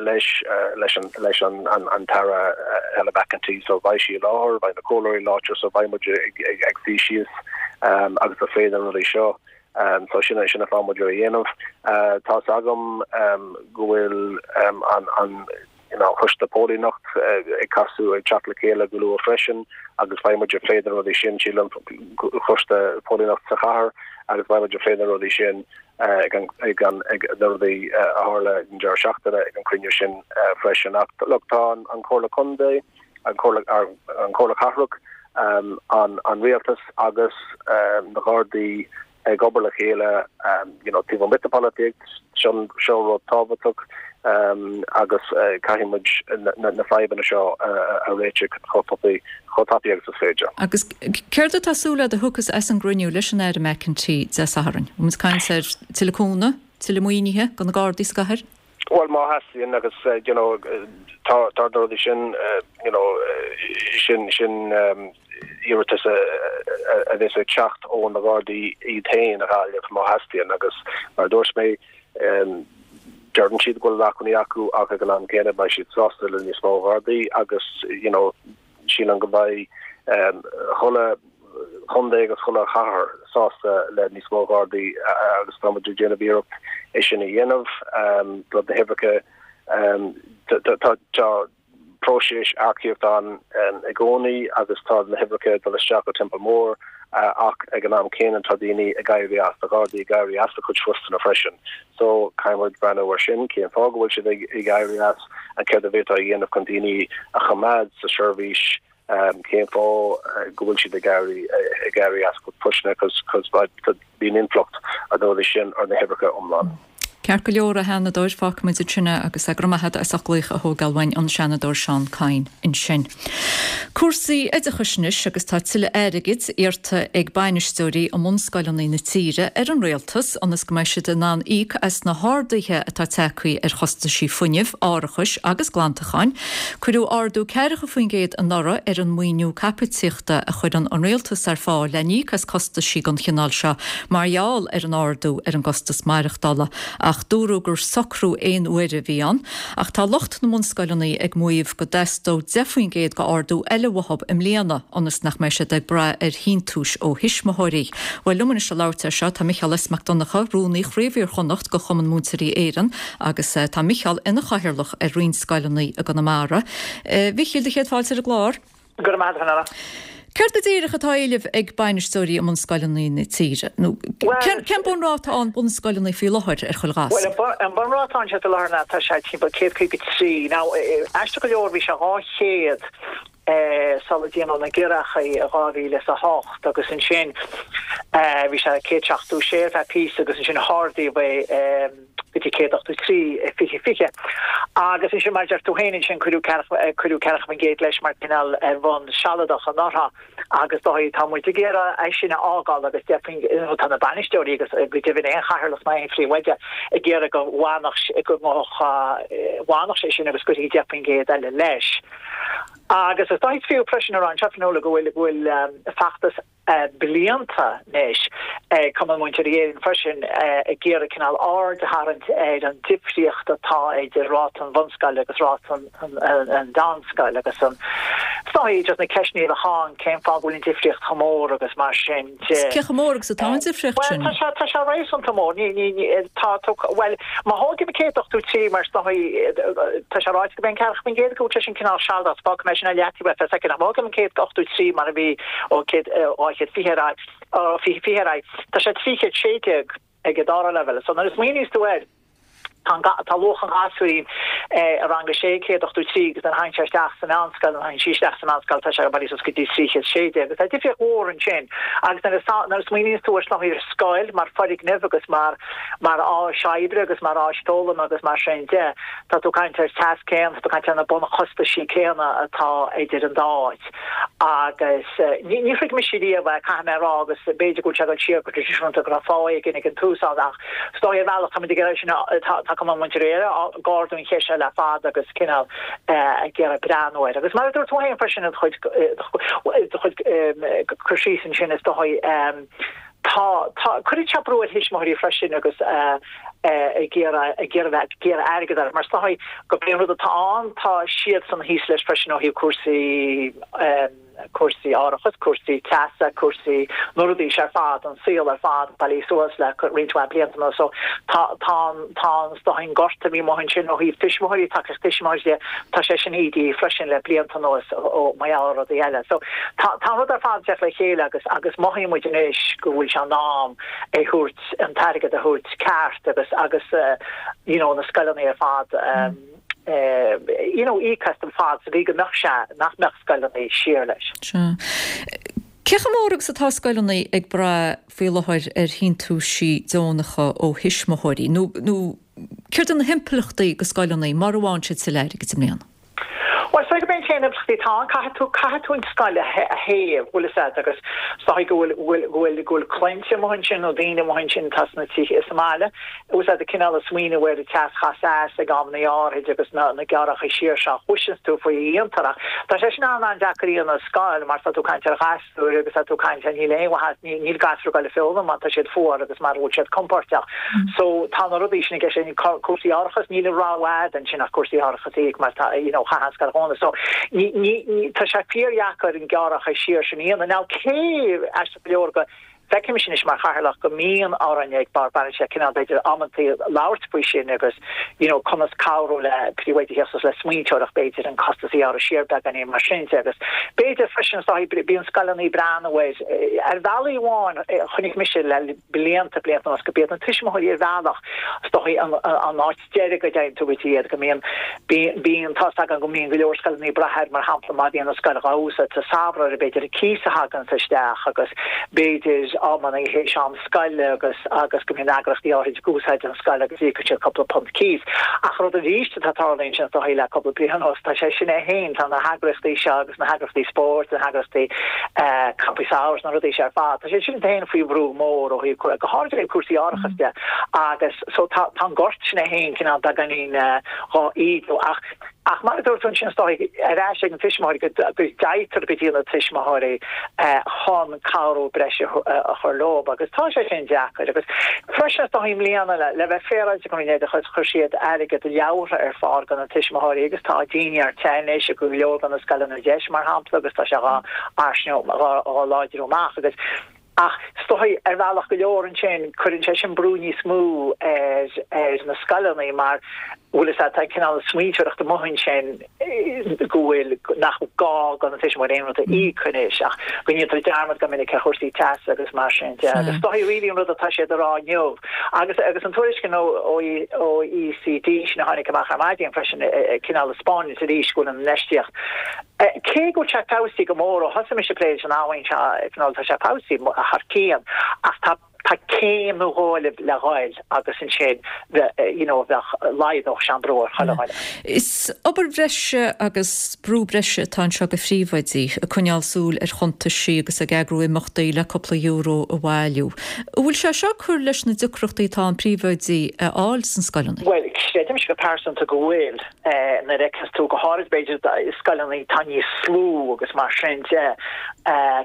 [SPEAKER 18] leis leis an leis an an an tAire Helen McEntee so beidh sí i láthair beidh na comhairleoirí i láthair so beidh muid ag ag ag suí síos agus ag plé na rudaí seo. So sin sin an fáth muid á dhéanamh. Tá's agam go bhfuil an an you know coiste póilíneacht ag casadh ag teacht le chéile go luath freisin agus beidh muid ag plé na rudaí sin sílim coiste póilíneacht sa chathair agus beidh muid ag plé na rudaí sin ag an ag an ag na rudaí a tharla an deireadh seachtaine ag an cruinniú sin freisin. Ach look tá an an Comhairle Contae, an Comhairle an Comhairle Cathrach, an an rialtas agus na Gardaí ag obair le chéile you know taobh amuigh de pholaitíocht sin seo rud tábhachtach agus caithfidh muid na fadhbanna seo a réiteach chomh tapaidh chomh tapaidh agus is féidir.
[SPEAKER 1] Agus céard atá súil agat a thiocfas as an gcruinniú leis an Aire McEntee Dé Sathairn? Bhfuil muid ag caint ar tuilleadh cúnamh, tuilleadh maoinithe do na Gardaí sa gcathair?
[SPEAKER 18] Bhuel má theastaíonn agus you know tá tá na rudaí sin you know sin sin iarratas a bheas ag teacht ó na Gardaí iad féin a Ghaillimh má theastaíonn agus mar a dúirt mé deireann siad go bhfuil acmhainní acu ach ag an am céanna beidh siad sásta le níos mó Gardaí agus you know sílim go mbeidh chuile chontae agus chuile chathair sásta le níos mó Gardaí agus tá muid ag déanamh iarracht é sin a dhéanamh le na huimhreacha tá próiseas earcaíochta ann i gcónaí agus tá na huimhreacha ag dul isteach go timpeall mór ach ag an am céanna tá daoine ag éirí as, tá Gardaí ag éirí as a gcuid postanna freisin. So caithfidh muid breathnú ar sin, cén fáth go bhfuil siad ag éirí as and céard a bhféadfá a dhéanamh chun daoine a choimeád sa seirbhís cén fáth go bhfuil siad ag éirí ag éirí as a gcuid postanna cos cos bíonn impleacht ag na rudaí sin ar na huimhreacha iomlán.
[SPEAKER 1] Ceart go leor a Sheanadóir, fágfaimid ansin é agus go raibh maith agat as ucht glaoch a thógáil uainn an Seanadóir Seán Kyne ansin. Cúrsaí oideachais anois agus tá tuilleadh airgid iarrta ag bainisteoirí i mbunscoileanna na tíre ar an rialtas ionas go mbeidh siad in ann íoc as na harduithe atá tagtha ar chostaisí fuinnimh, árachais agus glantacháin. Cuireadh ardú ceathracha faoin gcéad anuraidh ar an maoiniú caipitíochta a chuireann an rialtas ar fáil le n-íoc as costaisí den chineál seo mar gheall ar an ardú ar an gcostas maireachtála. Ach dúradh gur socrú aon uaire a bhí ann. Ach tá lucht na mbunscoileanna ag maíomh go dteastódh deich faoin gcéad d'ardú eile uathu i mbliana ionas nach mbeidh siad ag brath ar shíntiúis ó thuismitheoirí. Bhuel, liom anois le labhairt air seo tá Micheál S. Mac Donncha, Rúnaí Chraobh Iar-Chonnacht de Chumann Múinteoirí Éireann agus tá Micheál ina chathaoirleach ar roinnt scoileanna i gConamara. A Mhichíl, do chéad fáilte ar an gclár.
[SPEAKER 19] Go raibh maith agat, a Fhionnuala.
[SPEAKER 1] Céard go díreach atá á éileamh ag bainisteoirí i mbunscoileanna na tíre? Nó cén bunráta ann bunscoileanna faoi láthair ar chuile ghasúr?
[SPEAKER 19] Bhuel, an bunráta ann faoi láthair ná tá sé timpeall céad caoga trí. Now, aisteach go leor bhí sé dhá chéad sula déanadh na giorrachaí i dhá mhíle is a hocht agus ansin bhí sé céad seachtó sé ar feadh píosa agus ansin hardaíodh é go dtí céad ochtó trí i fiche fiche. Agus ansin, mar a deir tú féin, ansin cuireadh ceathracha, cuireadh ceathracha faoin gcéad leis mar cineál ar bhonn sealadach anuraidh agus dóigh, tá muid ag iarraidh é sin a fhágáil agus deich faoin, nó tá na bainisteoirí agus go deimhin aon chathaoirleach ná aon phríomhoide ag iarraidh go bhfanfadh, go bhfanfadh sé sin agus go gcuirfí deich faoin gcéad eile leis. Agus is dóigh is fiú freisin a rá anseo, Fionnuala, go bhfuil, go bhfuil feachtas blianta anois ag Cumann Múinteoirí Éireann freisin ag iarraidh cineál aird a tharraingt ar an difríocht atá idir ráta an bhunscoile agus ráta an mheánscoil agus an is dóigh just na ceisteanna a bheadh ann cén fáth go bhfuil an difríocht chomh mór agus mar sin de.
[SPEAKER 1] Cé chomh mór agus atá an difríocht sin?
[SPEAKER 19] Bhuel tá sé tá sé réasúnta mór. Ní ní ní tá tú bhuel má thógaim céad ochtó trí mar is dóigh tá sé ráite go mbeidh an ceathracha faoin gcéad go bhfuil sé sin cineál sealadach fágfaidh mé sin ar leataobh ar feadh soicind ach má thógaim an céad ochtó trí mar a bhí ó céad dhá chéad fiche ar aghaidh, ó fiche fiche ar aghaidh, tá sé trí chéad sé déag ag an dara leibhéal. So nuair a smaoiníos tú air, Tá luach an ghasúirín i rang a sé, céad ochtó trí, agus nuair a thagann sé isteach sa mheánscoil, nuair a thagann sí isteach sa mheánscoil, tá sé ag bailiú suas go dtí trí chéad sé déag. Agus tá difríocht mhór ansin. Agus nuair a nuair a smaoiníonns tú ar ar scoil mar foirgneamh agus mar mar áis oibre agus mar áis foghlama agus mar sin de, tá tú ag caint ar teas céanna, tá tú ag caint ar na bunchostaisí céanna atá idir an dá áit. Agus ní ní thuig mise riamh é, caithfidh mé a rá, agus b'fhéidir go bhfuil sé ag dul siar go traidisiúnta go raibh fáth éigin ag an tús ann ach is dóigh ar bhealach táimid ag iarraidh sin a tá Cumann Múinteoirí Éire ag ardú an cheist seo le fada agus cineál ag iarraidh breathnú air. Agus mar a dúirt tú féin freisin i do chuid do chuid cur síos ansin is dóigh tá tá cuireann sé brú ar thuismitheoirí freisin agus ag iarraidh ag iarraidh bheith ag iarraidh airgead orthu mar is dóigh go b'é an rud atá ann tá siadsan thíos leis freisin ó thaobh cúrsaí cúrsaí árachais, cúrsaí teasa, cúrsaí na rudaí seo ar fad, an saol ar fad bailithe suas le roinnt mhaith blianta anuas. So tá tá an tá an is dóigh an gorta a bhí amuigh ansin ó thaobh tuismitheoirí, tacaíocht tuismitheoirí de, tá sé sin ídithe freisin le blianta anuas ó mar gheall ar rudaí eile. So tá tá an rud ar fad ag teacht le chéile agus agus mothaíonn muid anois go bhfuil sé in am é thabhairt an t-airgead a thabhairt ceart agus agus you know na scoileanna ar fad you know íoc as an fad sa gcaoi go mbeadh sé nach mbeadh scoileanna siar leis.
[SPEAKER 1] Sea. Cé chomh mór agus atá scoileanna ag brath faoi láthair ar shíntiúisí deonacha ó thuismitheoirí nó nó céard iad na himpleachtaí do scoileanna mura bhfaigheann siad tuilleadh airgid i mbliana?
[SPEAKER 19] Bhuel, is dóigh gurb é an t-aon impleachtaí atá ann, caithfidh tú, caithfidh tú an scoil a théamh, bhfuil fhios agat, agus is dóigh go bhfuil, go bhfuil, go bhfuil, go bhfuil claimhte amuigh ansin nó daoine amuigh ansin atá sna tithe sa mbaile, bhfuil fhios agat, cineál ag smaoineamh ar an teas chas as ag amanna áirid agus na, na gearrthacha siar seo a chloiseanns tú faoi a dhéantar ach tá sé sin an-an-deacair a dhéanamh i scoil mar tá tú ag caint ar ghas gasúir agus tá tú ag caint ar níl aon mhaitheas, níl gasúir ag dul ag foghlaim má tá siad fuar agus mara bhfuil siad compóirteach. So tá na rudaí sin i gceist, cúrsaí árachais, níl an rogha a'd ansin ach cúrsaí árachais a íoc mar tá, you know, chaithfeá an scoil a dhúnadh. So ní, ní, ní, tá sé fíordheacair an gearrthacha siar sin a dhéanamh. Now cé, aisteach go leor, go bhfeicimse anois mar chathaoirleach go mbíonn orainn ag Bord Bainistíochta cineál b'fhéidir amantaí labhairt faoi sin agus you know conas cabhrú le príomhoidí theacht suas le smaointeoireacht b'fhéidir an costas a ghearradh siar beagáinín mar sin de agus b'fhéidir freisin is dóigh bíonn scoileanna ag breathnú ar ar bhealaí amháin chonaic mise le blianta blianta anuas go b'iad na tuismitheoirí ar bhealach is dóigh an an áit deiridh go dtéann tú go dtí iad go mbíonn bíonn tá's agam go mbíonn go leor scoileanna ag brath air mar shampla má bhíonn an scoil dhá úsáid sa samhradh b'fhéidir an cíos a thaganns isteach agus b'fhéidir amanna théis am scoile agus agus go mbíonn eagraíochtaí áirid ag úsáid an scoil agus íocann siad cúpla punt cíos. Ach rud arís atá tarlaithe ansin is dóigh le cúpla bliain anuas tá sé sin é féin tá na heagraíochtaí seo agus na heagraíochtaí spóirt na heagraíochtaí campaí samhraidh na rudaí seo ar fad tá sé sin féin faoi bhrú mór ó thaobh go háirid ó thaobh cúrsaí árachais de agus so tá tá an gort sin é féin cineál beagáinín dhá ídiú ach ach mar a dúirt tú ansin is dóigh ar ais ag an tuismitheoirí go go dtéitear go dtí na tuismitheoirí chun cabhrú breise a chur leo agus tá sé sin deacair agus freisin is dóigh i mbliana le le bheith féaráilte go Roinn Oideachais chuir siad airgead leabhartha ar fáil do na tuismitheoirí agus tá daoine ar te anois i go leor de na scoileanna deis mar shampla agus tá sé dhá fhairsingiú dhá dhá láidriú amach agus Ach is dóigh, ar bhealach go leor ansin, cuireann sé sin brú níos mó ar ar na scoileanna mar bhfuil fhios a'd, tá cineál smaointeoireacht amuigh ansin go bhfuil, nach gá do na tuismitheoirí aon rud a íoc anois ach go ndéantar dearmad go minic ar chúrsaí teasa agus mar sin de. Agus is dóigh really an rud atá siad a rá inniu agus agus an tuairisc ó OECD sin a tháinig amach ar maidin freisin cineál ag 'spáint arís go bhfuil an infheistíocht Cé go bhfuil sé feabhsaithe go mór ó thosaigh mise ag plé leis an abhainn seo, tá sé feabhsaithe thar cionn ach tá tá céim nó dhó eile le ghoil agus ansin you know bheadh laghdódh sé an brú ar chuile dhuine.
[SPEAKER 1] Is obair bhreise agus brú breise atá anseo do phríomhoidí, ag coinneáil súil ar chuntaisí agus ag eagrú imeachtaí le cúpla euro a bhailiú. An bhfuil sé seo ag cur leis na deacrachtaí atá an príomhoidí a fháil sna scoileanna?
[SPEAKER 19] Bhuel, creidimse go pearsanta go bhfuil. Nuair a fheiceanns tú, go háirid b'fhéidir i scoileanna atá níos lú agus mar sin de,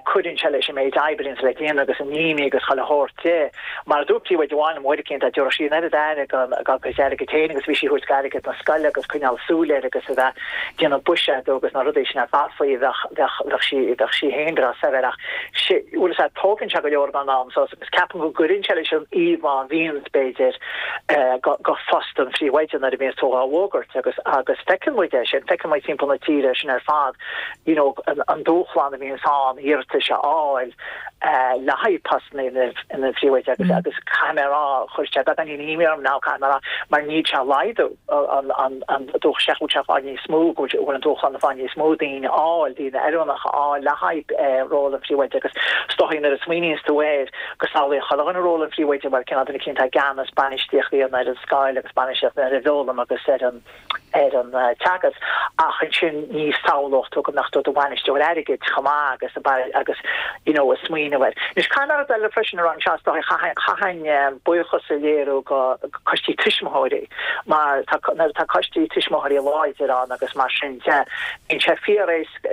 [SPEAKER 19] cuireann sé leis an méid oibre a bhíonns le déanamh agus an imní agus chuile shórt de. Mar a dúirt príomhoide amháin liom uair eicínt, dá dtabharfadh sí an oiread aire dá cuid airgid féin agus a bhí sí ag tabhairt d'airgead na scoile agus coinneáil súil air agus a bheith ag déanamh buiséadú agus na rudaí sin ar fad faoi, bheadh, bheadh, bheadh sí, bheadh sí féin breá saibhir ach bhfuil fhios a'd, tógann sé go leor den am suas agus ceapaim go gcuireann sé leis an íomhá a bhíonns, b'fhéidir, go phost an phríomhoide nuair a bhíonns tú dhá bhfógairt agus agus feiceann muid é sin, feiceann muid timpeall na tíre é sin ar fad, you know, an dúshlán a bhíonns ann iarratais a fháil le haghaidh postanna ina ina phríomhoide agus agus caithfidh mé a rá chuir sé beagáinín imní orm now caithfidh mé a rá mar níl sé ag laghdú an an an dúch sé go bhfuil sé ag fáil níos mó go bhfuil an dúshlán ag fáil níos mó daoine a fháil daoine oiriúnacha a fháil le haghaidh ról an phríomhoide agus is dóigh nuair a smaoiníonns tú air go samhlaíonn chuile dhuine ról an phríomhoide mar cineál duine eicínt atá i gceannas bainistíocht a dhéanamh ar an scoil agus bainistíocht ar an bhfoghlaim agus ar an ar an teagasc ach ansin ní shamhlódh tú go mbeadh tú i do bhainisteoir airgid chomh maith agus agus you know ag smaoineamh air. Anois caithfidh mé rud eile freisin a rá anseo is dóigh chaithfinn chaithfinn buíochas a léiriú go coistí tuismitheoirí mar tá nuair atá coistí tuismitheoirí láidir ann agus mar sin de bíonn sé fíor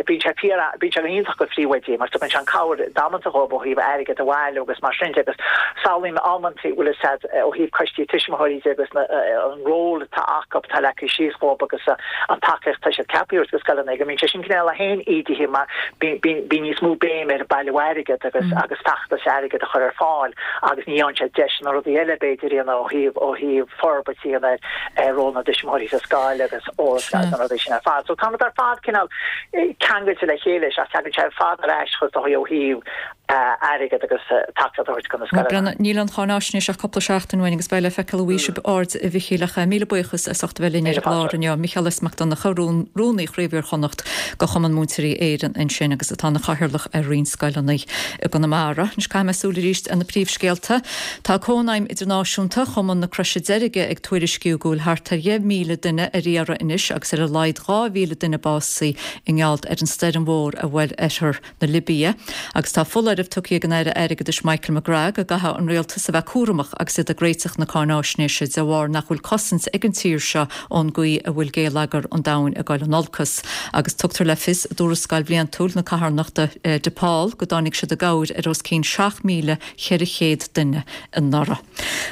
[SPEAKER 19] bíonn sé fíor bíonn sé go hiontach go phríomhoidí mar tugann sé an cabhair damanta dhóibh ó thaobh airgead a bhailiú agus mar sin de agus samhlaím amantaí bhfuil a fhios a'd ó thaobh coistí tuismitheoirí de agus na an ról atá acu atá leagtha síos dhóibh agus an tacaíocht atá siad ceaptha a thabhairt go scoileanna go mbíonn sé sin cineál é féin ídithe mar bíonn bíonn níos mó béim ar bailiú airgead agus agus feachtas airgead a chur ar fáil agus ní fhaigheann siad deis na rudaí eile b'fhéidir a dhéanamh ó thaobh ó thaobh forbairt a dhéanamh ar ról na dtuismitheoirí sa scoil agus eolas agus na rudaí sin ar fad. So tá muid ar fad cineál ceangailte le chéile sea tagann sé ar fad ar ais chomh dóigh ó thaobh airgead agus tacaíocht a thabhairt go na scoileanna.
[SPEAKER 1] Níl an cháinaisnéis ach cúpla seachtain uainn agus beidh le feiceáil an bhfaighidh sibh aird a Mhichíl ach míle buíochas as ucht a bheith linn ar an gclár inniu. Micheál S. Mac Donncha, Rúnaí Chraobh Iar-Chonnacht go Chumann Múinteoirí Éireann ansin agus atá ina chathaoirleach ar roinnt scoileanna i gConamara. Anois caithfidh mé súil arís ar na príomhscéalta. Tá Cónaidhm Idirnáisiúnta Chumann na Croise Deirge ag tuairisciú go bhfuil thart ar dheich míle duine ar iarraidh anois agus ar a laghad dhá mhíle duine básaithe i ngeall ar an stoirm mhór a bhuail oirthear na Libia. Agus tá foláireamh tugtha ag an Aire Airgeadais Michael McGrath go gcaithfidh an rialtas a bheith cúramach agus iad ag réiteach na cáináisnéise de bharr nach bhfuil cosaint ag an tír seo ón gcaoi a bhfuil géilleagar an domhain ag dul in olcas. Agus tugtar le fios i dtuarascáil bhliantúil na carthanachta DePaul go dtáinig siad i gcabhair ar os cionn seacht míle ceithre chéad duine anuraidh.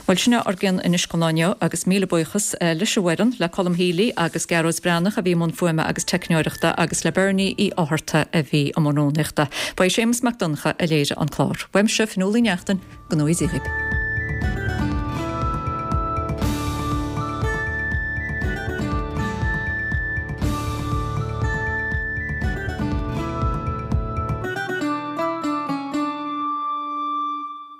[SPEAKER 1] Bhuel, sin é ár gcion anois don lá inniu agus míle buíochas leis an bhfoireann, le Colm Healy agus Gearóid Breathnach a bhí i mbun fuaime agus teicneoireachta agus le Bernie Uí Fhátharta a bhí i mbun rúnaíochta. Ba é Séamus Mac Donncha a léirigh an clár. Uaimse, Fionnuala Uí Neachtain, go ngnóthaí Dia dhaoibh.